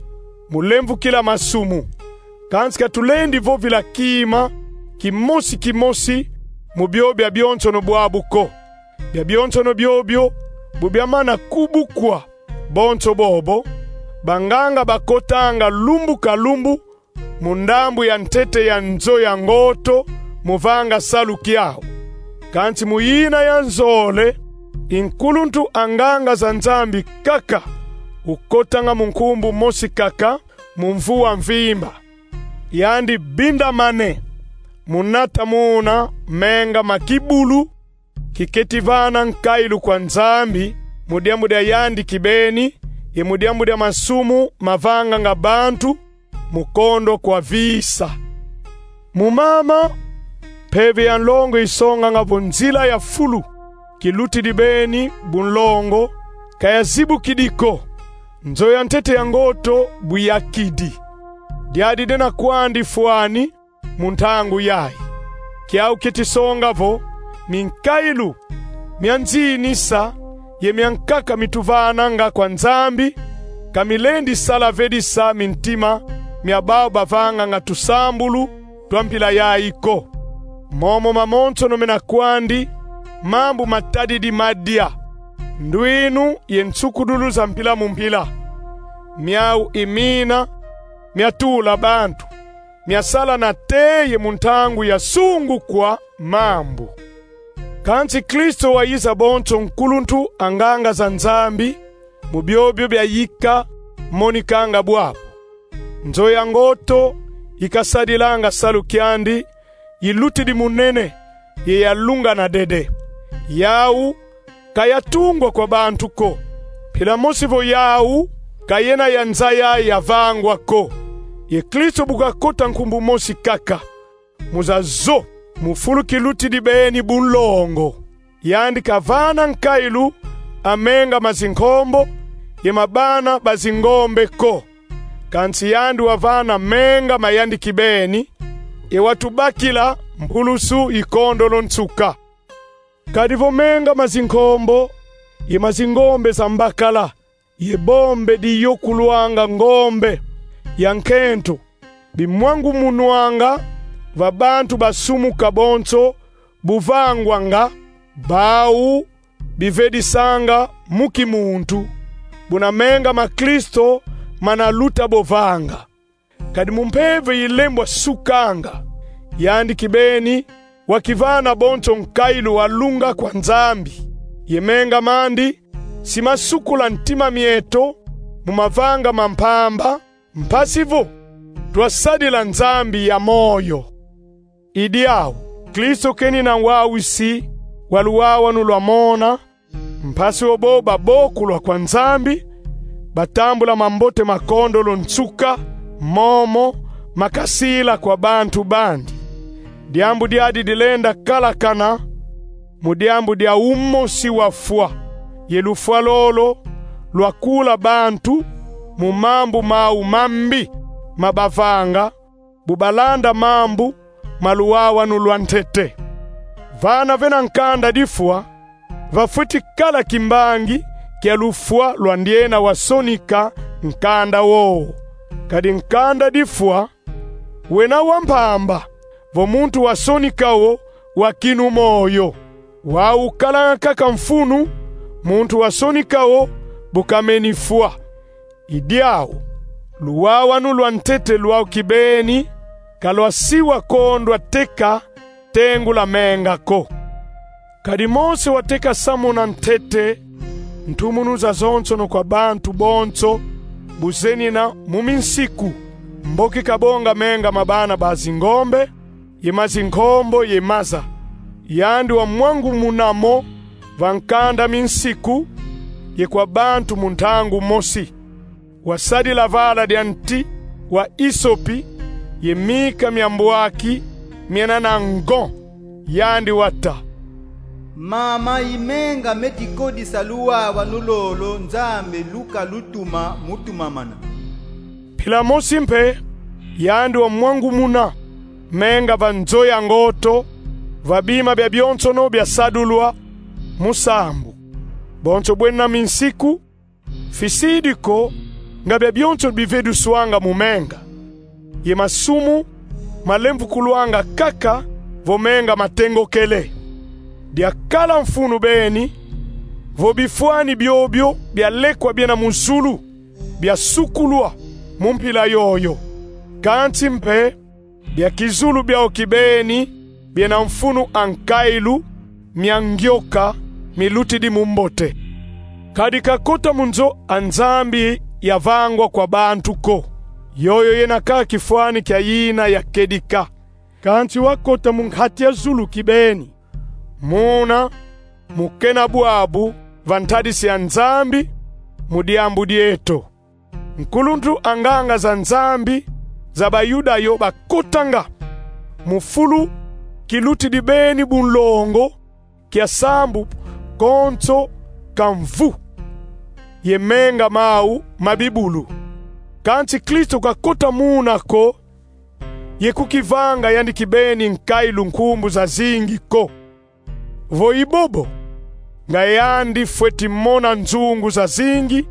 mu lemvukila masumu. Kansi ka tulendi vovila kima kimosi kimosi mu bio biabionsono bwabu ko. Biabionsono biobio bu biamana kubukwa, bonso bobo, banganga bakotanga lumbu ka lumbu mu ndambu ya ntete ya nzo ya ngoto mu vanga salu kiau. Kansi mu yina ya nzole, i nkuluntu a nganga za Nzambi kaka ukotanga mu nkumbu mosi kaka mu mvu wa mvimba. Yandi bindamane mu nata muna menga ma kibulu kiketi vana nkailu kwa Nzambi, mu diambu dia yandi kibeni, ye mu diambu dia masumu mavanganga bantu mu kondo kwa visa. Mu mama, mpeve ya nlongo isonganga vo nzila ya fulu kilutidi beni bu nlongo ka yazibukidi ko. Nzo ya ntete ya ngoto bu yakidi. Diadi dena kwandi fwani mu ntangu yayi. Kiau keti songa vo minkailu mia nzinisa ye mia nkaka mituvananga kwa Nzambi ka milendi sala vedisa mintima mia bau bavanganga tusambulu twa mpila yayi ko. Momo mamonsono mena kwandi mambu matadidi madia, ndwinu ye nsukudulu za mpila mu mpila. Miau i mina miatula bantu, miasala nate ye mu ntangu ya sungukwa mambu. Kansi Kristo wayiza bonso nkuluntu a nganga za Nzambi mu biobio biayika monikanga bwabu. Nzo ya ngoto ikasadilanga salu kiandi, yilutidi munene, ye yalungana dede. Yau ka yatungwa kwa bantu ko. Mpila mosi vo yau ka yena ya nza yayi yavangwa ko. Ye Kristo bu kakota nkumbu mosi kaka, mu zazo, mu fulu kilutidi beni bunlongo, yandi kavana nkailu a menga ma zinkombo ye ma bana ba zingombe ko. Kansi yandi wavana menga ma yandi kibeni, ye watubakila mpulusu yi kondolo nsuka. Kadi vo menga ma zinkombo ye ma zingombe za mbakala, ye bombe diyokulwanga ngombe ya nkento, bimwangumunwanga va bantu basumuka bonso bu vangwanga, bau bivedisanga mu kimuntu, buna menga ma Kristo mana luta bo vanga. Kadi mu mpeve yi lembwa sukanga, yandi kibeni wakivana bonso nkailu wa lunga kwa Nzambi, ye menga mandi si masukula ntima mieto mu mavanga ma mpamba, mpasi vo twasadila Nzambi ya moyo. I diau, Kristo kenina wawisi wa luwawanu lwa mona, mpasi vo bo babokulwa kwa Nzambi, batambula mambote ma kondolo nsuka, momo makasila kwa bantu bandi. Diambu diadi dilenda kalakana mu diambu dia umosi wafwa, ye lufwa lolo lwakula bantu mu mambu mau mambi ma bavanga, bu balanda mambu ma luwawanu lwa ntete. Vana vena nkanda difwa, vafweti kala kimbangi kia lufwa lwa ndiena wasonika nkanda wowo. Kadi nkanda difwa wena wa mpamba vo muntu wasonika wo wakinu moyo. Wau kalanga kaka mfunu muntu wasonika wo bu kameni fwa. I diau, luwawanu lwa ntete lwau kibeni ka lwasiwa kondwa teka tengula menga ko. Kadi Mose wateka samuna ntete ntumunu zazonsono kwa bantu bonso bu zenina mu minsiku, mboki kabonga menga ma bana ba zingombe, ye ma zinkombo ye maza. Yandi wamwangumuna mo va nkanda minsiku ye kwa bantu mu ntangu mosi. Wasadila vala dia nti wa isopi ye mika mia mbwaki miena na ngo. Yandi wata: Mama, i menga meti kodisa luwawanu lolo Nzambi luka lutuma mu tumamana. Mpila mosi mpe, yandi wamwangumuna menga va nzo ya ngoto, va bima bia bionsono biasadulwa mu sambu. Bonso bwena minsiku, fisidi ko nga bia bionso biveduswanga mu menga, ye masumu malemvukulwanga kaka vo menga matengokele. Diakala mfunu beni vo bifwani biobio bia lekwa biena mu zulu biasukulwa mu mpila yoyo. Kansi mpe bia kizulu biau kibeni biena mfunu a nkailu mia ngioka milutidi mu mbote. Kadi kakota mu nzo a Nzambi yavangwa kwa bantu ko. Yoyo yena kaka kifwani kia yina ya kedika. Kansi wakota mu nkati ya zulu kibeni, muna mu kena bwabu va ntadisi ya Nzambi mu diambu dieto. Nkuluntu a nganga za Nzambi za Bayuda yo bakotanga mu fulu kilutidi beni bunlongo kia sambu konso ka mvu ye menga mau ma bibulu. Kansi Kristo kakota muna ko, ye kukivanga yandi kibeni nkailu nkumbu zazingi ko. Vo i bobo, nga yandi fweti mona nzungu zazingi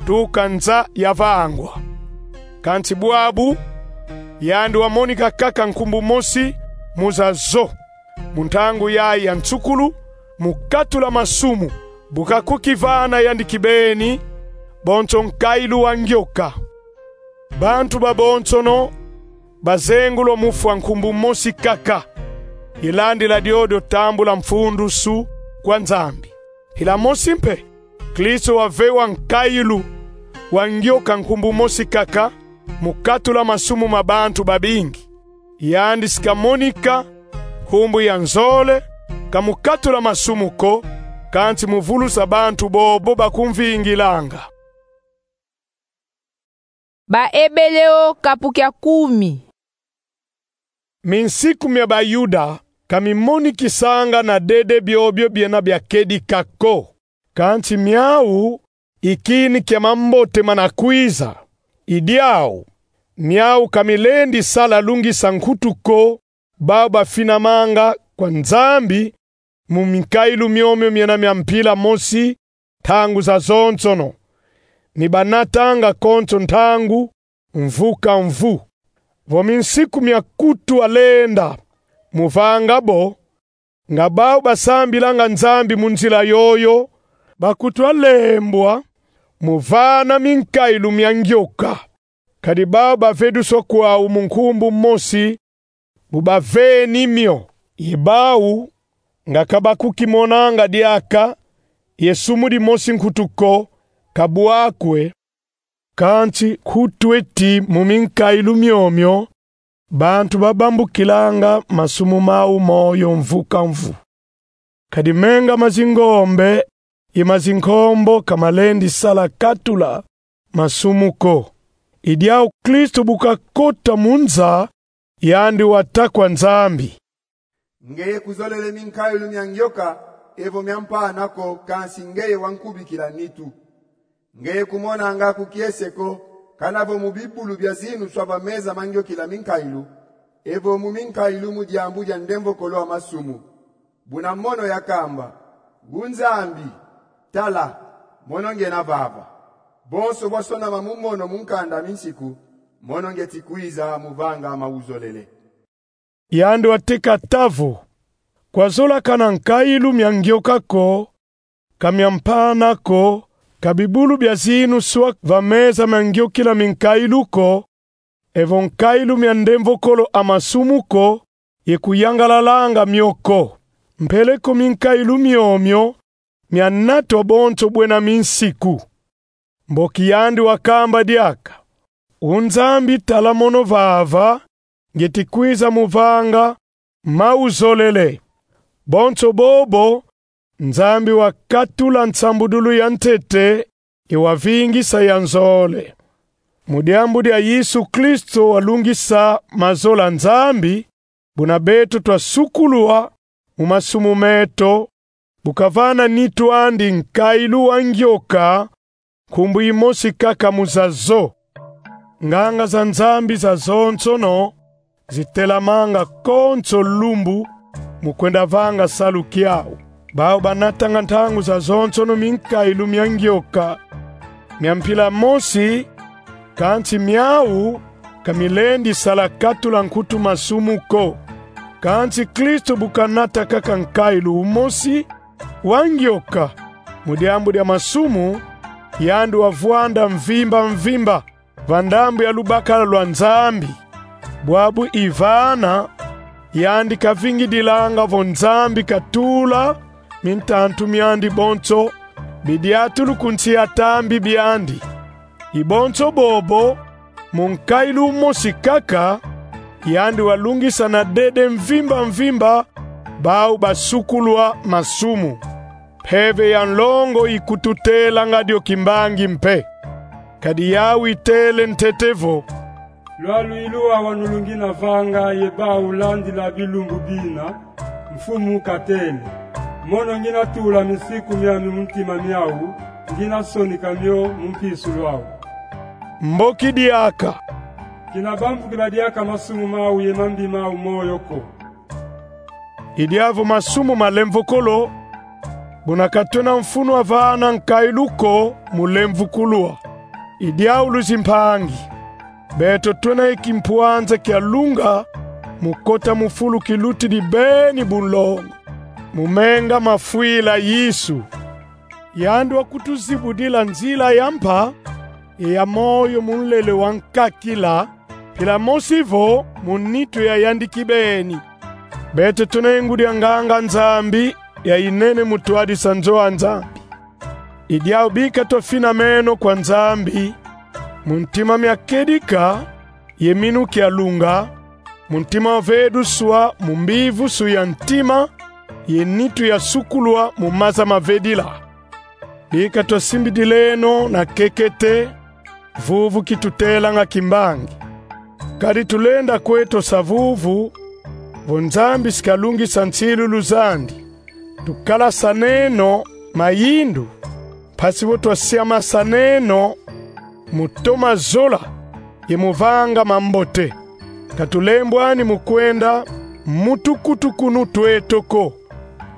tuka nza yavangwa. Kansi bwabu, yandi wamonika kaka nkumbu mosi mu zazo, mu ntangu yayi ya nsukulu, mu katula masumu, bu kakukivana yandi kibeni bonso nkailu wa ngioka. Bantu babonsono bazengulwa mu fwa nkumbu mosi kaka, ye landila diodio tambula mfundusu kwa Nzambi. Mpila mosi mpe, Kristo wavewa nkailu wa ngioka nkumbu mosi kaka, mu katula masumu ma bantu babingi. yandi si kamonika, nkumbu ya nzole, ka mu katula masumu ko, kansi mu vulusa bantu bobo bakumvingilanga. Baebeleo kapu kia kumi. Minsiku mia Bayuda ka mimonikisanga na dede biobio biena bia kedika ko, kansi miau i kini kia mambote mana kwiza. I diau, miau ka milendi sala lungisa nkutu ko bau bafinamanga kwa Nzambi mu minkailu miomio miena mia mpila mosi ntangu zazonsono, ni banatanga konso ntangu mvu ka mvu. Vo minsiku mia kutu alenda mu vanga bo, nga bau basambilanga Nzambi mu nzila yoyo, bakutu alembwa mu vana minkailu mia ngioka. Kadi bau baveduswa kwau mu nkumbu mosi bu baveni mio. I bau nga ka bakukimonanga diaka ye sumu dimosi nkutu ko, ka bwakwe, kansi nkutu eti mu minkailu miomio bantu babambukilanga masumu mau moyo mvu ka mvu. Kadi menga ma zingombe ye ma zinkombo ka malendi sala katula masumu ko. I diau Kristo bu kakota mu nza, yandi wata kwa Nzambi: Ngeye kuzolele minkailu mia ngioka, evo mia mpana ko, kansi ngeye wankubikila nitu. Ngeye kumonanga ku kiese ko, kana vo mu bibulu bia zinuswa va meza ma ngiokila minkailu, evo mu minkailu mu diambu dia ndemvokolo a masumu. Buna mono yakamba: Gu Nzambi, tala, mono ngena vava. Bonso bwasonama mu mono mu nkanda mi nsiku, mono ngeti kwiza mu vanga mauzolele. Yandi wateka ata vo: Kwazola kana nkailu mia ngioka ko, ka mia mpana ko, ka bibulu bia zinuswa va meza ma ngiokila minkailu ko, evo nkailu mia ndemvokolo a masumu ko, ye kuyangalalanga mio ko. Mpeleko minkailu miomio mianatwa bonso bwena minsiku. Mboki yandi wakamba diaka: U Nzambi, tala mono vava, ngeti kwiza mu vanga mauzolele. Bonso bobo, Nzambi wakatula nsambudulu ya ntete ye wavingisa ya nzole. Mu diambu dia Yesu Kristo walungisa mazola Nzambi, buna beto twasukulwa mu masumu meto, bu kavana nitu andi nkailu wa ngioka, nkumbu imosi kaka mu zazo. Nganga za Nzambi zazonsono zitelamanga konso lumbu mu kwenda vanga salu kiau. Bau banatanga ntangu zazonsono minkailu mia ngioka mia mpila mosi, kansi miau ka milendi sala katula nkutu masumu ko. Kansi Kristo bu kanata kaka nkailu umosi wa ngioka mu diambu dia masumu, yandi wavwanda mvimba mvimba va ndambu ya lubakala lwa Nzambi. Bwabu i vana, yandi kavingidilanga vo Nzambi katula mintantu miandi bonso bidiatulu ku nsi ya tambi biandi. I bonso bobo, mu nkailu umosi kaka, yandi walungisa na dede mvimba mvimba bau basukulwa masumu. Mpeve ya nlongo ikututelanga dio kimbangi mpe. Kadi yau itele ntete vo: Lwalu i luwa wanu lu ngina vanga ye bau landila bilumbu bina, Mfumu katele: Mono ngina tula minsiku miami mu ntima miau, ngina sonika mio mu mpisulu au. Mboki diaka: Kina bambukila diaka masumu mau ye mambi mau moyo ko. I diau vo masumu malemvokolo, buna ka twena mfunu a vana nkailu ko mu lemvukulwa. I diau luzimpangi, beto twena ye kimpwanza kia lunga mu kota mu fulu kilutidi beni bunlongo, mu menga mafwila Yesu. Yandi wakutuzibudila nzila ya mpa ye ya moyo mu nlele wa nkakila, mpila mosi vo mu nitu ya yandi kibeni. Beto twena ye ngudi a nganga Nzambi ya inene mu twadisa nzo a Nzambi. I diau bika twafinameno kwa Nzambi mu ntima mia kedika ye minu kia lunga, Mu ntima waveduswa mu mbivusu ya ntima, ye nitu yasukulwa mu maza mavedila. Bika twasimbidileno na kekete, vuvu kitutelanga kimbangi. Kadi tulenda kweto sa vuvu, vo Nzambi si kalungisa nsilulu zandi. Tukalasaneno mayindu, mpasi vo twasiamasaneno mu toma zola ye mu vanga mambote. Ka tulembwani mu kwenda mu tukutukunu tweto ko.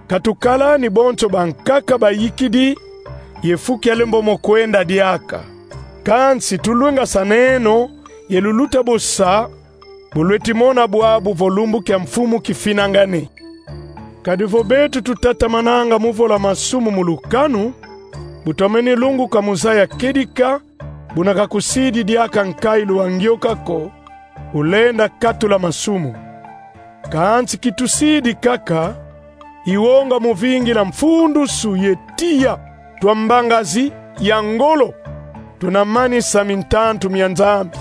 Ka tukalani bonso bankaka bayikidi ye fu kia lembo mo kwenda diaka. Kansi tulwengasaneno ye luluta bo sa, bu lweti mona bwabu vo lumbu kia Mfumu kifinangani. Kadi vo beto tutatamananga mu vola masumu mu lukanu, bu twameni lunguka mu zaya kedika, buna ka kusidi diaka nkailu wa ngioka ko, ulenda katula masumu. Kansi kitusidi kaka, i wonga mu vingila mfundusu ye tiya twa mbangazi ya ngolo tuna manisa mintantu mia Nzambi.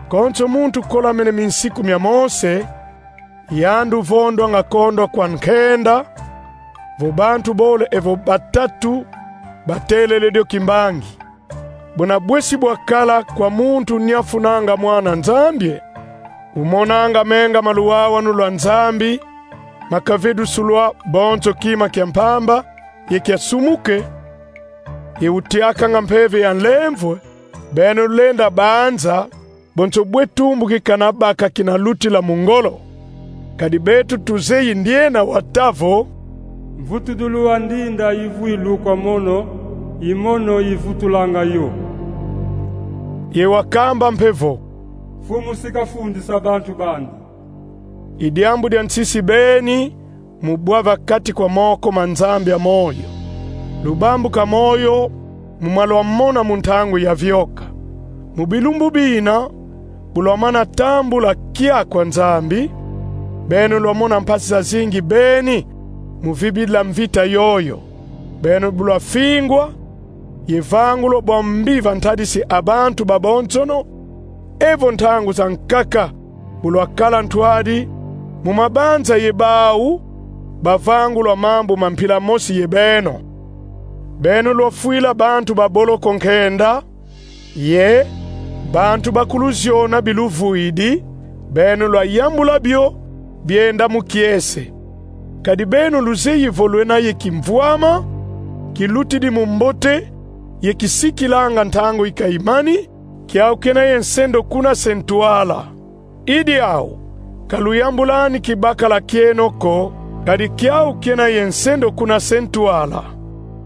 Konso muntu kolamene minsiku mia Mose, yandi uvondwanga kondwa kwa nkenda, vo bantu bole evo batatu batelele dio kimbangi. Buna bwesi bwakala kwa muntu nyafunanga Mwana Nzambi, umonanga menga ma luwawanu lwa Nzambi, ma kavedusulwa bonso kima kia mpamba ye kia sumuke, ye utiakanga Mpeve ya nlemvo, beno lenda banza, bonso bwe tumbu ki kana baka kina lutila mu ngolo. Kadi beto tuzeyi ndiena wata vo: Mvutudulu wa ndinda ivwilu kwa mono, i mono ivutulanga yo. Ye wakamba mpe vo: Mfumu si kafundisa bantu bandi. I diambu dia nsisi beni mu bwa va kati kwa moko ma Nzambi ya moyo. Lubambu ka moyo mu ma lwamona mu ntangu ya vioka. Mu bilumbu bina, bu lwamana tambula kia kwa Nzambi, beno lwamona mpasi zazingi beni mu vibidila mvita yoyo. Beno bu lwafingwa, ye vangulwa bwa mbi va ntadisi a bantu babonsono, evo ntangu zankaka bu lwakala ntwadi mu mabanza ye bau bavangulwa mambu ma mpila mosi ye beno. Beno lwafwila bantu ba boloko nkenda, ye bantu bakuluziona biluvwidi, beno lwayambula bio bienda mu kiese. Kadi beno luzeyi vo lwena ye kimvwama, kilutidi mu mbote, ye kisikilanga ntangu i ka imani, kiau kena ye nsendo kuna se ntwala. I diau, ka luyambulani kibakala kieno ko, kadi kiau kena ye nsendo kuna se ntwala.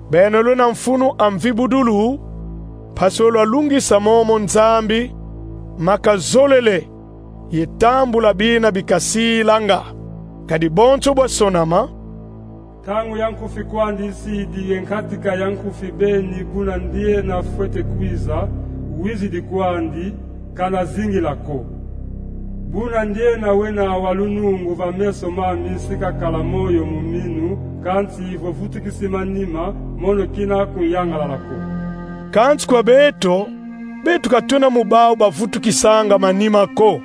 Beno lwena mfunu a mvibudulu, mpasi vo lwalungisa momo Nzambi ma kazolele ye tambula bina bi kasilanga. Kadi bonso bwasonama. Ntangu ya nkufi kwandi isidi, ye nkatika ya nkufi beni, buna ndiena fwete kwiza, wizidi kwandi, kana zingila ko. Buna ndiena wena wa lunungu va meso mami si kakala moyo mu minu, kansi vo vutukisi manima, mono kina kunyangalala ko. Kansi kwa beto, beto ka twena mu bau bavutukisanga manima ko.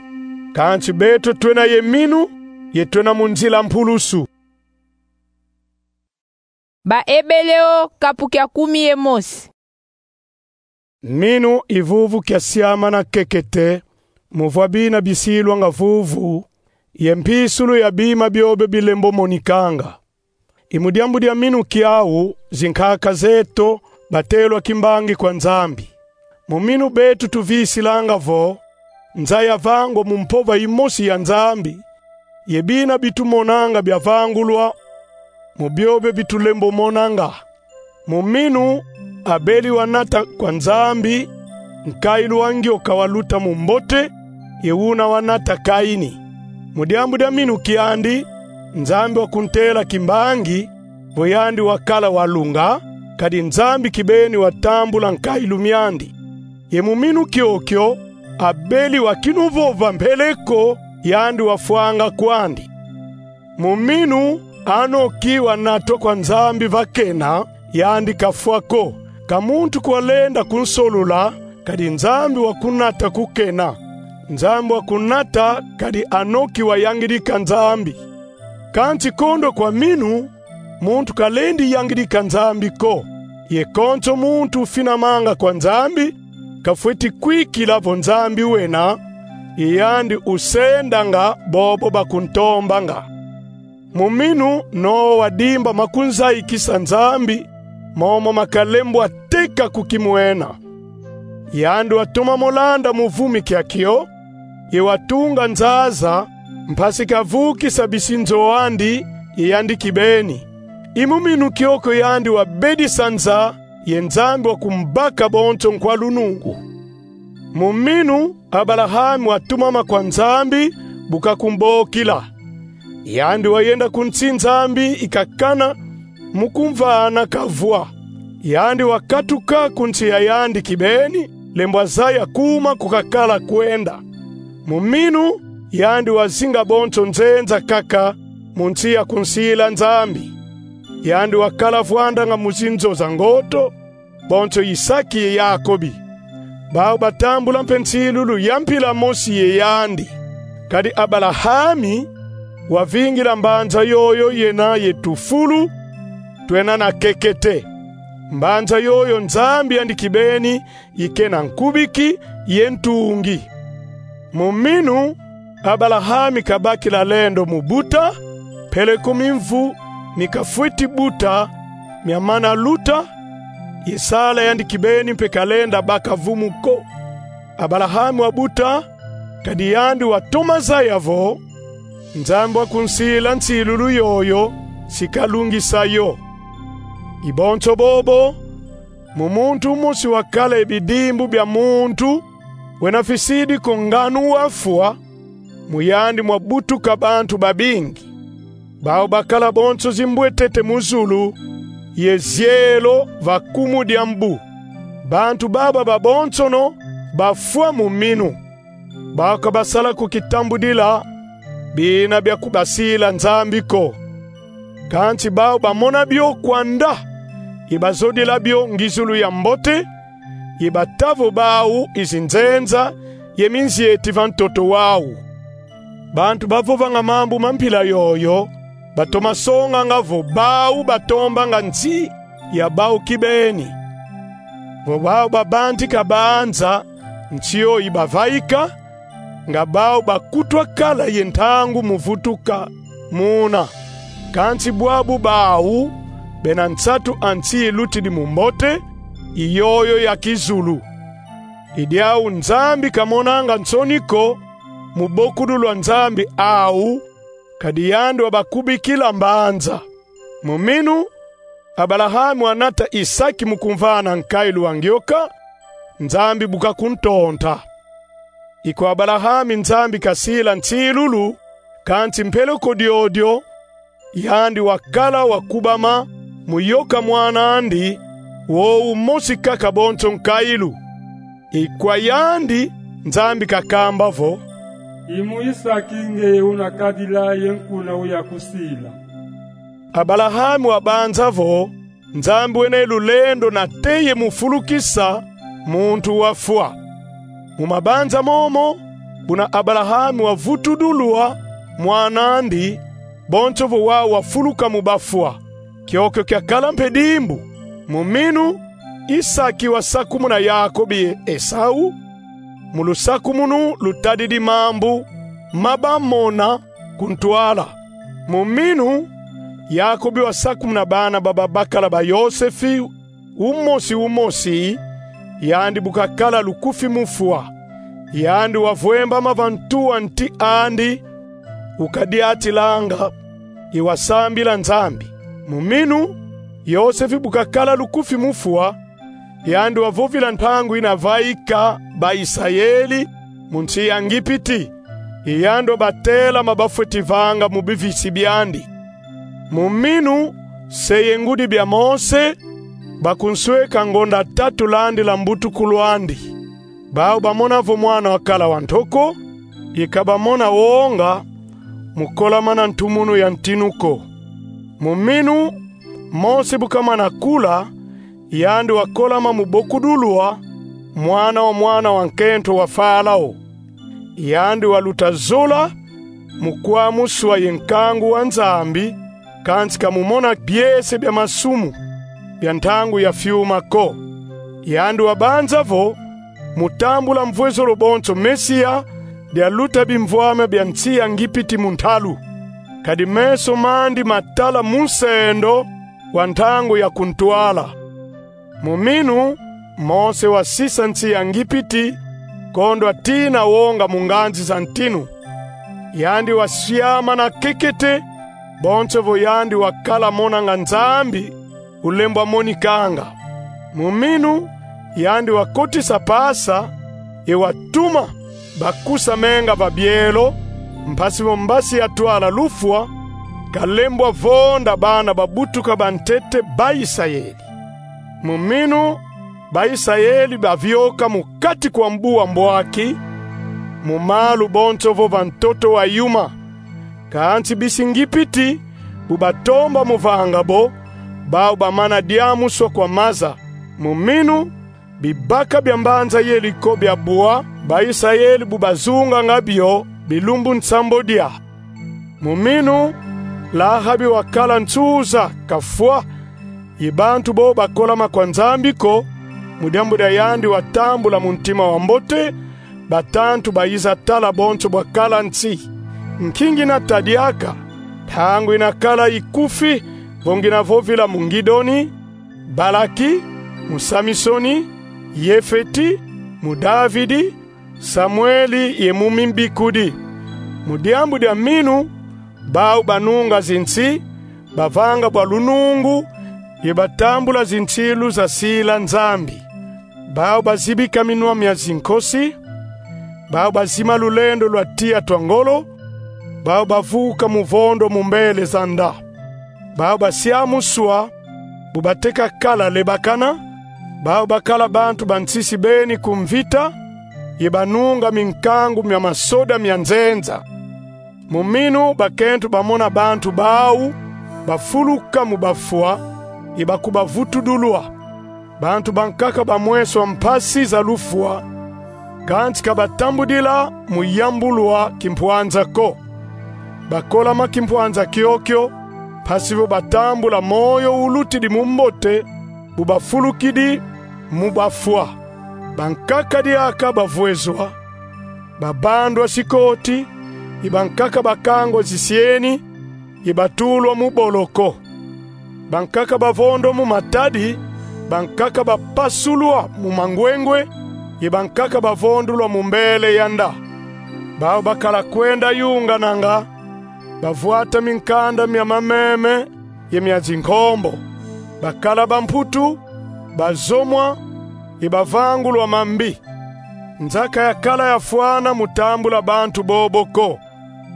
Kansi beto twena ye minu, ye twena mu nzila mpulusu. Baebeleo kapu kia kumi ye mosi. Minu i vuvu kia siamana kekete, mu vwa bina bisilwanga vuvu, ye mpisulu ya bima biobio bilembo monikanga. I mu diambu dia minu kiau zinkaka zeto batelwa kimbangi kwa Nzambi. Mu minu beto tuvisilanga vo nza yavangwa mu mpova imosi ya Nzambi, ye bina bitumonanga biavangulwa mu biobio bitulembo monanga. Mu minu Abeli wanata kwa Nzambi nkailu wa ngioka waluta mu mbote, ye una wanata Kaini. Mu diambu dia minu kiandi, Nzambi wakuntela kimbangi, vo yandi wakala walunga, kadi Nzambi kibeni watambula nkailu miandi. Ye mu minu kiokio, Abeli wakinuvova mpele ko, yandi wafwanga kwandi. Mu minu Anoki wanatwa kwa Nzambi va kena, yandi kafwa ko. Ka muntu ko walenda kunsolula, kadi Nzambi wakunata ku kena. Nzambi wakunata kadi Anoki wayangidika Nzambi. Kansi kondwa kwa minu, muntu kalendi yangidika Nzambi ko. Ye konso muntu ufinamanga kwa Nzambi kafweti kwikila vo Nzambi wena, i yandi usendanga bobo bakuntombanga. Mu minu Noa wadimba makunzayikisa Nzambi, momo makalembwa teka ku kimwena. Yandi watoma mo landa mu vumi kia kio, ye watunga nzaza, mpasi kavukisa bisinzo andi ye yandi kibeni. I mu minu kiokio yandi wabedisa nza ye Nzambi wakumbaka bonso nkwa lunungu. Mu minu Abalahami watumama kwa Nzambi, bu kakumbokila. Yandi wayenda ku nsi Nzambi ikakana mu kumvana kavwa. Yandi wakatuka ku nsi ya yandi kibeni, lembwa zaya kuma kukakala kwenda. Mu minu yandi wazinga bonso nzenza kaka mu nsi ya kunsila Nzambi. Yandi wakala vwandanga mu zinzo za ngoto, bonso Isaki ye Yakobi. Bau batambula mpe nsilulu ya mpila mosi ye yandi. Kadi Abalahami wavingila mbanza yoyo yena ye tufulu twena na kekete. Mbanza yoyo Nzambi yandi kibeni ikena nkubiki ye ntungi. Mu minu Abalahami kabakila lendo mu buta, peleko mimvu mi kafweti buta miamana luta, ye sala yandi kibeni mpe kalenda baka vumu ko. Abalahami wabuta, kadi yandi watoma zaya vo Nzambi wakunsila nsilulu yoyo si kalungisa yo. I bonso bobo, mu muntu umosi wakala ye bidimbu bia muntu wena fisidi ko nganu wafwa, mu yandi mwabutuka bantu babingi. Bau bakala bonso zimbwetete mu zulu, ye zielo va kumu dia mbu. Bantu baba babonsono bafwa mu minu. Bau ka basala ko kitambudila bina bia kubasila Nzambi ko. Kansi bau bamona bio kwanda, ye bazodila bio ngizulu ya mbote, ye bata vo bau i zinzenza ye minzieti va ntoto wau. Bantu bavovanga mambu ma mpila yoyo batoma songanga vo bau batombanga nsi ya bau kibeni. Vo bau babanzika banza, nsi yo ibavaika, nga bau bakutwa kala ye ntangu mu vutuka muna. Kansi bwabu bau bena nsatu a nsi ilutidi mu mbote, i yoyo ya kizulu. I diau Nzambi kamonanga nsoni ko mu bokudulu a Nzambi au, kadi yandi wabakubikila mbanza. Mu minu Abalahami wanata Isaki mu kumvana nkailu wa ngioka, Nzambi bu kakuntonta. I kwa Abalahami Nzambi kasila nsilulu, kansi mpeleko diodio, yandi wakala wakubama mu yoka mwana andi, wowu mosi kaka bonso nkailu. I kwa yandi Nzambi kakamba vo: I mu Isaki ngeye unakadila ye nkuna uyakusila. Abalahami wabanza vo Nzambi wena ye lulendo nate ye mu fulukisa muntu wafwa. Mu mabanza momo, buna Abalahami wavutudulwa mwana andi, bonso vo wau wafuluka mu bafwa. Kiokio kiakala mpe dimbu. Mu minu Isaki wasakumuna Yakobi ye Esau, mu lusakumunu lutadidi mambu ma bamona ku ntwala. Mu minu Yakobi wasakumuna bana ba babakala ba Yosefi, umosi umosi, yandi bu kakala lukufi mu fwa. Yandi wavwembama va ntu a nti andi, ukadiatilanga, ye wasambila Nzambi. Mu minu Yosefi bu kakala lukufi mu fwa, yandi wavovila ntangu ina vaika ba Isayeli mu nsi ya Ngipiti, ye yandi wabatelama bafweti vanga mu bivisi biandi. Mu minu se ye ngudi bia Mose bakunsweka ngonda tatu landila mbutukulu andi. Bau bamona vo mwana wakala wa ntoko, ye ka bamona wonga mu kolamana ntumunu ya ntinu ko. Mu minu Mose bu kamana kula, yandi wakolama mu bokudulwa mwana wa mwana wa nkento wa Farao. yandi waluta zola mu kwamuswa ye nkangu wa Nzambi, kansi ka mumona biese bia masumu bia ntangu ya fiuma ko. Yandi wabanza vo mu tambula mvwezolo bonso Mesia, dialuta bimvwama bia nsi ya Ngipiti mu ntalu. Kadi meso mandi matala munsendo wa ntangu ya kuntwala. Mu minu, Mose wasisa nsi ya Ngipiti, kondwa tina wonga mu nganzi za ntinu. Yandi wasiama na kekete, bonso vo yandi wakala monanga Nzambi ulembwa monikanga. Mu minu, yandi wakotisa Pasa, ye watuma bakusa menga va bielo, mpasi vo mbasi ya twala lufwa kalembwa vonda bana babutuka bantete ba Isayeli. Mu minu, ba Isayeli bavioka mu kati kwa mbu wa mbwaki, mu malu bonso vo va ntoto wa yuma. Kansi bisi Ngipiti bu batomba mu vanga bo, bau bamana diamuswa kwa maza. Mu minu, bibaka bia mbanza Yeriko biabwa, ba Isayeli bu bazunganga bio bilumbu nsambodia. Mu minu, Lahabi wakala nsuza kafwa, ye bantu bo bakolama kwa Nzambi ko, mu diambu dia yandi watambula mu ntima wa mbote batantu bayiza tala bonso bwakala nsi. Nki ngina ta diaka, ntangu inakala ikufi, vo ngina vovila mu Ngidoni, Balaki, mu Samisoni, Yefeti, mu Davidi, Samueli ye mu mimbikudi. Mu diambu dia minu, bau banunga zinsi, bavanga bwa lunungu, ye batambula zinsilu zasila Nzambi. Bau bazibika minwa mia zinkosi, bau bazima lulendo lwa tiya twa ngolo, bau bavuka mu vondo mu mbele za nda. Bau basiamuswa, bu bateka kala lebakana, bau bakala bantu ba nsisi beni ku mvita, ye banunga minkangu mia masoda mia nzenza. Mu minu bakento bamona bantu bau bafuluka mu bafwa, ye bakubavutudulwa. Bantu bankaka bamweswa mpasi za lufwa, kansi ka batambudila mu yambulwa kimpwanza ko. Bakolama kimpwanza kiokio, mpasi vo batambula moyo ulutidi mu mbote, bu bafulukidi mu bafwa. Bankaka diaka bavwezwa, babandwa sikoti, ye bankaka bakangwa zisieni, ye batulwa mu boloko. Bankaka bavondwa mu matadi, bankaka bapasulwa mu mangwengwe, ye bankaka bavondulwa mu mbele ya nda. Bau bakala kwenda yungananga, bavwata minkanda mia mameme ye mia zinkombo. Bakala bamputu, bazomwa, ye bavangulwa mambi. Nza ka yakala yafwana mu tambula bantu bobo ko.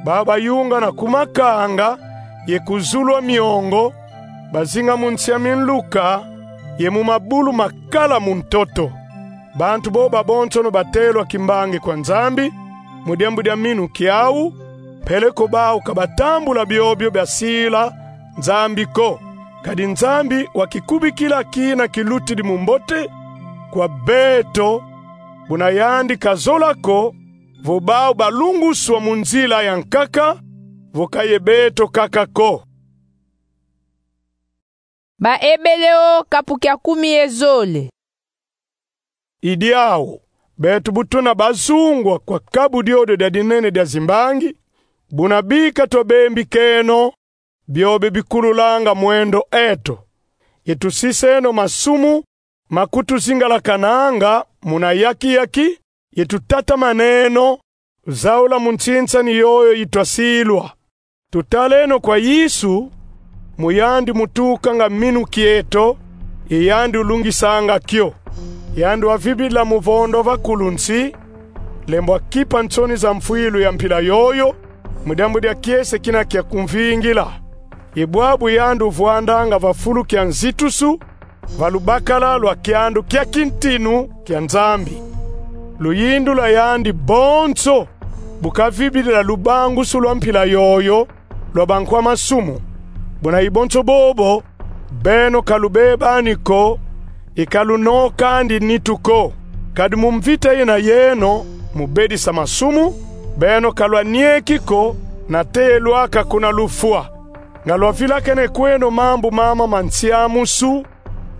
Bau bayungana ku makanga ye ku zulu a miongo, bazinga mu nsi a minluka ye mu mabulu makala mu ntoto. Bantu bo babonsono batelwa kimbangi kwa Nzambi, mu diambu dia minu kiau, peleko bau ka batambula biobio biasila Nzambi ko. Kadi Nzambi wakikubikila kina kilutidi mu mbote kwa beto, buna yandi kazola ko vo bau balunguswa mu nzila ya nkaka, vo ka ye beto kaka ko. Baebeleo kapu kia kumi ye zole. I diau, beto bu tuna bazungwa kwa kabu diodio dia dinene dia zimbangi, buna bika twabembikeno biobio bikululanga mwendo eto, ye tusiseno masumu ma kutuzingalakananga muna yaki-yaki, ye tutatamaneno zaula mu nsinsani yoyo itwasilwa. Tutaleno kwa Yesu, mu yandi mutukanga minu kieto, ye yandi ulungisanga kio. Yandi wavibila mu vondo va kulu nsi, lembwa kipa nsoni za mfwilu ya mpila yoyo, mu diambu dia kiese kina kia kumvingila. Ye bwabu yandi uvwandanga va fulu kia nzitusu, va lubakala lwa kiandu kia kintinu kia Nzambi. Luyindu lwa yandi bonso bu kavibidila lubangusu lwa mpila yoyo lwa bankwa masumu. Buna i bonso bobo, beno ka lubebani ko, ye ka lunokandi nitu ko. Kadi mu mvita yena yeno mu bedisa masumu, Beno ka lwanieki ko nate lwaka kuna lufwa, nga lwavilakene kweno mambu mama ma nsiamusu,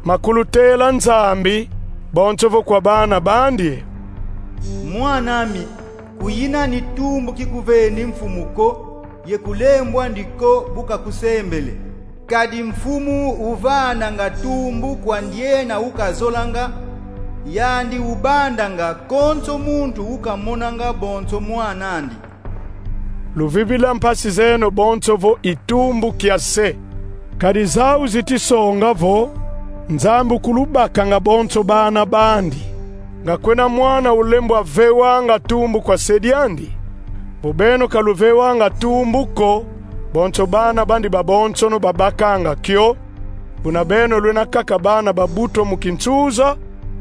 ma kulutela Nzambi, bonso vo kwa bana bandi: Mwan'ami, kuyina ni tumbu kikuveni mfumu ko, ye kulembwa ndi ko bu kakusembele. Kadi mfumu uvananga tumbu kwa ndiena ukazolanga, yandi ubandanga konso muntu ukamonanga bonso mwan'andi. Luvivila mpasi zeno bonso vo i tumbu kia se. Kadi zau ziti songa vo Nzambi ukulubakanga bonso bana bandi. Nga kwena mwana ulembwa vewanga tumbu kwa se diandi? Vo beno ka luvewanga tumbu ko, bonso bana bandi babonsono babakanga kio, buna beno lwena kaka bana babutwa mu kinsuza,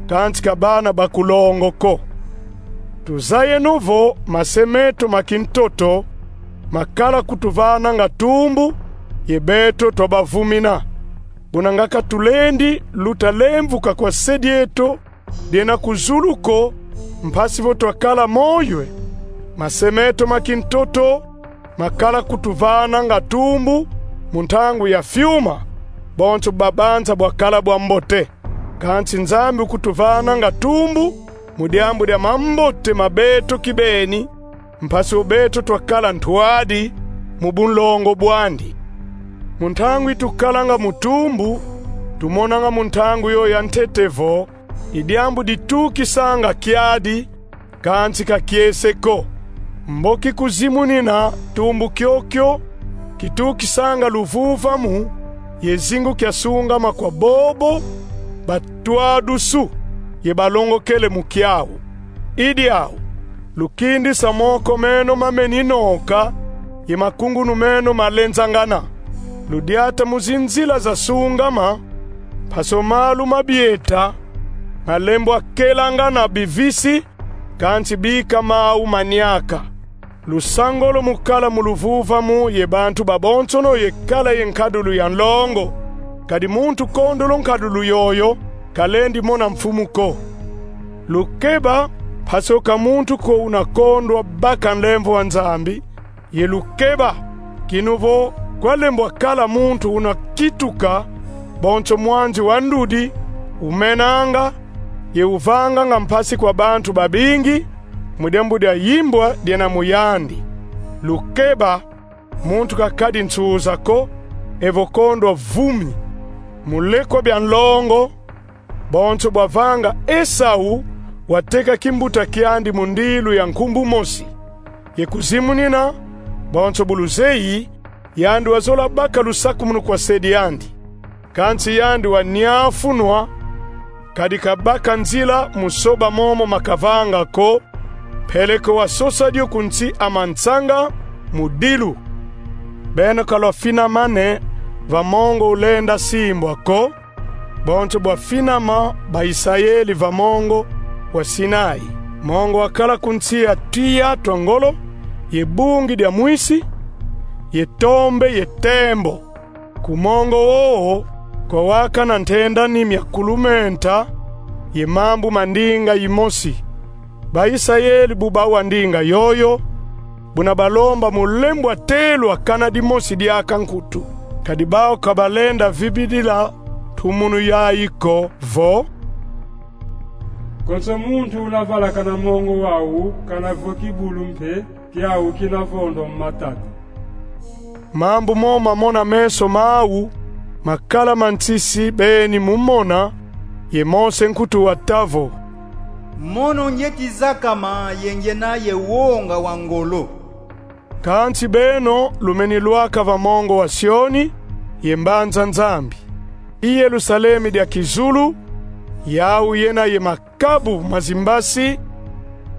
kansi ka bana ba ku longo ko. Tuzayeno vo mase meto ma kintoto makala kutuvananga tumbu, ye beto twabavumina. Buna nga ka tulendi luta lemvuka kwa se dieto diena ku zulu ko, mpasi vo twakala moyo e? Mase meto ma kintoto makala kutuvananga tumbu mu ntangu ya fiuma, bonso babanza bwakala bwa mbote. Kansi Nzambi ukutuvananga tumbu mu diambu dia mambote ma beto kibeni, mpasi vo beto twakala ntwadi mu bunlongo bwandi. Mu ntangu itukalanga mu tumbu, tumonanga mu ntangu yo ya ntete vo i diambu ditukisanga kiadi, kansi ka kiese ko. Mboki kuzimunina tumbu kiokio kitukisanga luvuvamu ye zingu kia sungama kwa bobo batwadusu ye balongokele mu kiau. I diau, lukindisa moko meno mameni noka ye makungunu meno malenzangana. Ludiata mu zinzila za sungama, mpasi vo malu ma bieta malembwa kelangana bivisi, kansi bika mau maniaka. Lusangolo mu kala mu luvuvamu ye bantu babonsono ye kala ye nkadulu ya nlongo, kadi muntu kondolo nkadulu yoyo kalendi mona mfumu ko. Lukeba, mpasi vo ka muntu ko una kondwa baka nlemvo wa Nzambi, ye lukeba, kinu vo kwalembwa kala muntu una kituka, bonso mwanzi wa ndudi, umenanga, ye uvanganga mpasi kwa bantu babingi, mu diambu dia yimbwa diena mu yandi. Lukeba, muntu kakadi nsuza ko, evo kondwa vumi. Mu lekwa bia nlongo, bonso bwavanga Esau wateka kimbuta kiandi mu ndilu ya nkumbu mosi. Ye kuzimunina, bonso bu luzeyi, yandi wazola baka lusakumunu kwa se diandi. Kansi yandi waniafunwa, kadi kabaka nzila mu soba momo makavanga ko, peleko wasosa dio ku nsi a mansanga mu dilu. Beno ka lwafinamane va mongo ulenda simbwa ko, bonso bwafinama ba Isayeli va mongo wa Sinai, mongo wakala ku nsi ya tuya twa ngolo, ye bungi dia mwisi, ye tombe ye tembo. Ku mongo wowo kwawakana ntenda ni mia kulumenta, ye mambu ma ndinga yimosi. Ba Isayeli bu bawa ndinga yoyo, buna balomba mu lembwa telwa kana dimosi diaka nkutu. Kadi bau ka balenda vibidila ntumunu yayi ko vo: Konso muntu una vala kana mongo wau kana vo kibulu mpe kiau kina vondwa mu matadi. Mambu mo mamona meso mau, makala ma nsisi beni mu mona, ye Mose nkutu wata vo: Mono ngieti zakama ye ngiena ye wonga wa ngolo. Kansi beno lumeni lwaka va mongo wa Sioni, ye mbanza Nzambi, i Yerusalemi dia kizulu, yau yena ye makabu ma zimbasi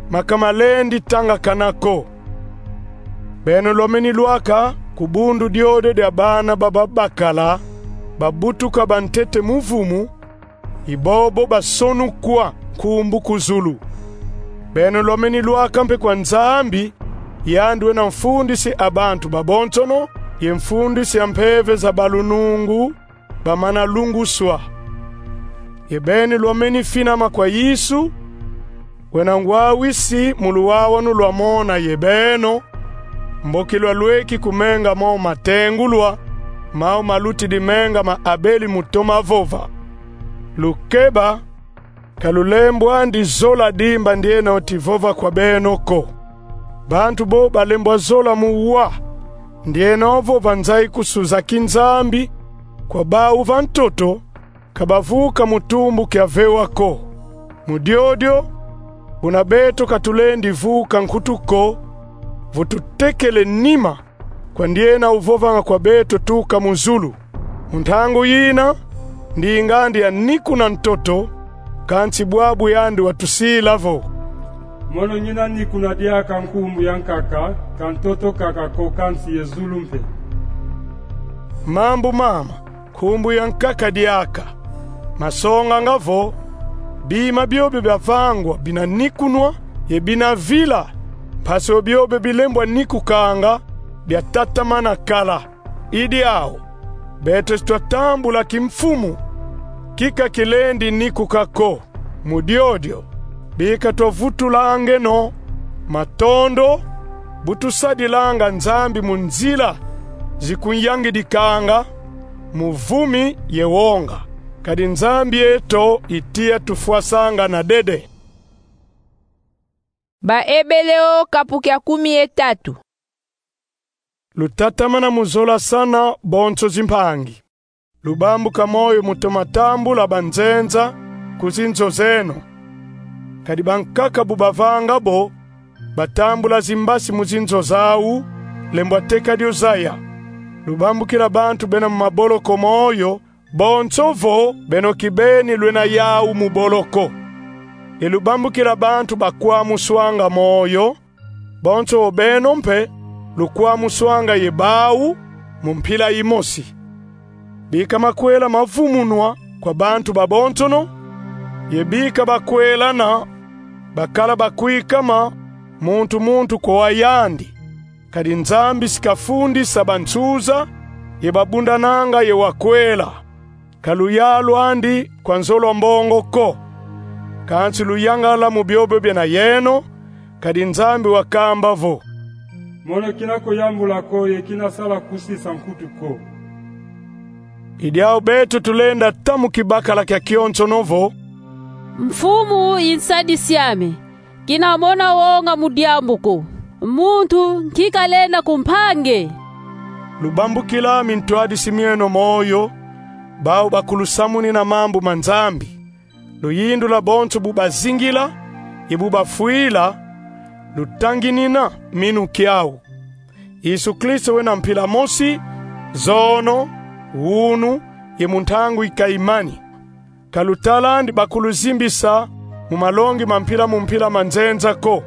ma ka malendi tangakana ko. Beno lwameni lwaka ku bundu diodio dia bana ba babakala babutuka bantete mu vumu, i bobo basonukwa nkumbu ku zulu. Beno lwameni lwaka mpe kwa Nzambi, yandi wena mfundisi a bantu babonsono, ye mfundisi a mpeve za balunungu bamana lunguswa. Ye beno lwameni finama kwa Yesu, wena ngwawisi mu luwawanu lwamona ye beno, mboki lwalweki ku menga mo matengulwa, mau malutidi menga ma Abeli mu toma vova. Lukeba, ka lulembwandi zola dimba ndieno ti vova kwa beno ko. Bantu bo balembwa zola mu wa, ndieno vo banzayi kusuza kinzambi kwa bau va ntoto, ka bavuka mu tumbu kia vewa ko. Mu diodio, buna beto ka tulendi vuka nkutu ko, vo tutekele nima kwa ndiena uvovanga kwa beto tuka mu zulu. Mu ntangu yina, ndinga andi anikuna ntoto, kansi bwabu yandi watusila vo: Mono ngina nikuna diaka nkumbu ya nkaka, ka ntoto kaka ko, kansi ye zulu mpe. Mambu mama, nkumbu ya nkaka diaka, masonganga vo bima biobio biavangwa bina nikunwa ye bina vila, mpasi biobio bilembwa nikukanga biatatamana kala. I diau, beto si twatambula kimfumu kika kilendi nikuka ko. Mu diodio, bika twavutulangeno matondo bu tusadilanga Nzambi mu nzila zikunyangidikanga, mu vumi ye wonga. Kadi Nzambi eto i tiya tufwasanga na dede. Baebeleo kapu kia kumi ye tatu. Lutatamana mu zolasana bonso zimpangi. Lubambuka moyo mu toma tambula banzenza ku zinzo zeno. Kadi bankaka bu bavanga bo, batambula zimbasi mu zinzo zau, lembwa teka dio zaya. Lubambukila bantu bena mu maboloko moyo, bonso vo beno kibeni lwena yau mu boloko. E lubambukila bantu bakwamuswanga moyo, bonso beno mpe lukwamuswanga ye bau mu mpila imosi. Bika makwela mavumunwa kwa bantu babonsono, ye bika bakwelana bakala bakwikama, muntu muntu kwa yandi. Kadi Nzambi si kafundisa bansuza ye babundananga ye wakwela. Ka luyalu andi kwa nzolwa mbongo ko. Kansi luyangala mu biobio biena yeno, kadi Nzambi wakamba vo: Mono kina kuyambula ko ye kina sala kusisa nkutu ko. I diau beto tulenda ta mu kibakala kia kionsono vo: Mfumu i nsadisi ame, kina mona wonga mu diambu ko. Muntu nki kalenda kumpange? Lubambukila mintwadisi mieno moyo, bau bakulusamunina mambu ma Nzambi. Luyindula bonso bu bazingila ye bu bafwila, lutanginina minu kiau. Yesu Kristo wena mpila mosi, zono, wunu, ye mu ntangu ikayimani. Ka lutalandi bakuluzimbisa mu malongi ma mpila mu mpila ma nzenza ko.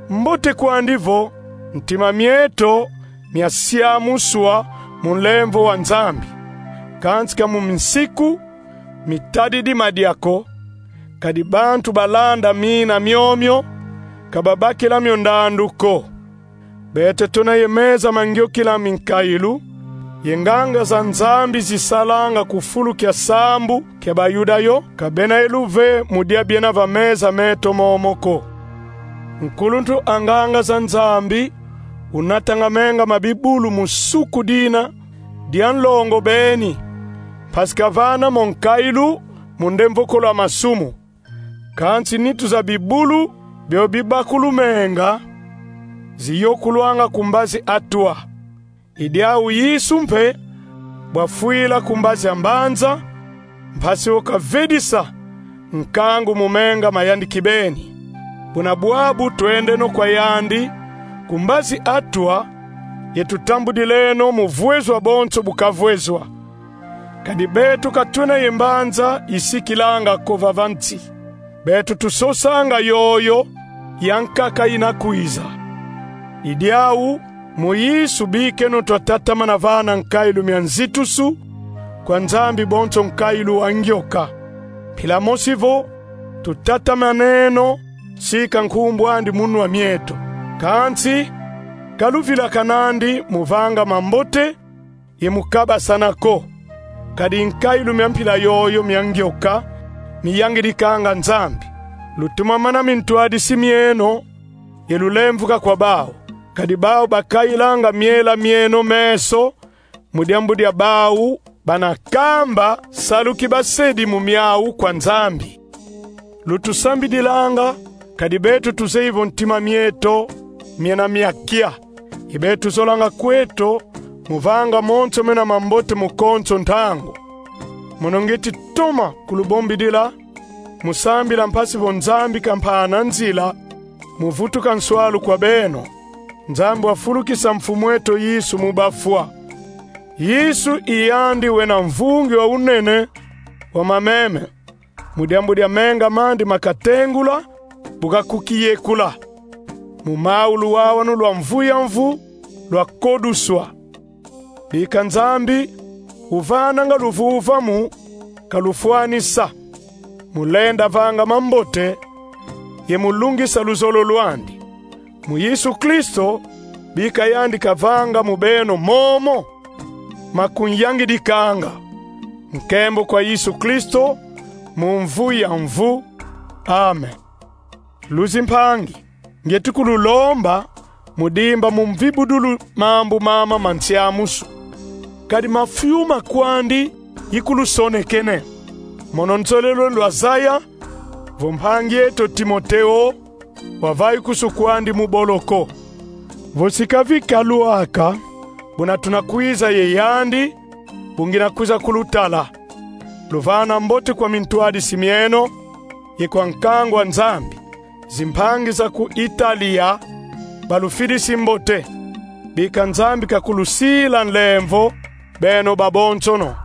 Mbote kwandi vo ntima mieto miasiamuswa mu nlemvo wa Nzambi, kansi ka mu minsiku mitadidi madia ko, kadi bantu balanda mina miomio, ka babakila mio ndandu ko. Beto tuna ye meza ma ngiokila minkailu, ye nganga za Nzambi zisalanga ku fulu kia sambu kia Bayuda yo, ka bena ye luve mu dia biena va meza meto momo ko. Nkuluntu a nganga za Nzambi unatanga menga ma bibulu mu suku dina dia nlongo beni, mpasi kavana mo nkailu mu ndemvokolo a masumu. Kansi nitu za bibulu bio bibakulu menga ziyokulwanga ku mbazi atwa. I diau Yesu mpe bwafwila ku mbazi a mbanza, mpasi wo kavedisa nkangu mu menga ma yandi kibeni. Buna bwabu twendeno kwa yandi ku mbazi atwa, ye tutambudileno mu vwezwa bonso bu kavwezwa. Kadi beto ka twena ye mbanza isikilanga ko vava nsi. Beto tusosanga yoyo ya nkaka ina kwiza. I diau, mu Yesu bikeno twatatamana vana nkailu mia nzitusu kwa Nzambi bonso nkailu wa ngioka. Mpila mosi vo, tutatamaneno sika nkumbu andi mu nwa mieto. Kansi ka luvilakanandi mu vanga mambote ye mu kabasana ko. Kadi nkailu mia mpila yoyo mia ngioka miyangidikanga Nzambi. Lutumamana mintwadisi mieno ye lulemvuka kwa bau, kadi bau bakayilanga miela mieno meso, mu diambu dia bau bana kamba salu ki basedi mu miau kwa Nzambi. Lutusambidilanga, kadi beto tuzeyi vo ntima mieto miena mia kia, ye beto tuzolanga kweto mu vanga monso mena mambote mu konso ntangu. Mono ngieti toma kulubombidila, mu sambila mpasi vo Nzambi kampana nzila mu vutuka nswalu kwa beno, Nzambi wafulukisa Mfumu eto Yesu mu bafwa. Yesu i yandi wena mvungi wa unene wa mameme, mu diambu dia menga mandi makatengula, bu kakukiyekula. Mu mau luwawanu lwa mvu ya mvu lwakoduswa. Bika Nzambi uvananga luvuvamu kalufwanisa, mu lenda vanga mambote ye mu lungisa luzolo lwandi. Mu Yesu Kristo, bika yandi kavanga mu beno momo makunyangidikanga. Nkembo kwa Yesu Kristo, mu mvu ya mvu. Amen. Luzimpangi, ngieti kululomba mu dimba mu mvibudulu mambu mama ma nsiamusu, kadi mafiuma kwandi ikulusonekene. Mono nzolele lwazaya vo mpangi eto Timoteo wavayi kusu kwandi mu boloko. Vo si kavi kalwaka, buna tuna kwiza ye yandi, bu ngina kwiza kulutala. Luvana mbote kwa mintwadisi mieno ye kwa nkangu a Nzambi. Zimpangi za ku Italia balufidisi mbote. Bika Nzambi kakulusila nlemvo, beno babonsono.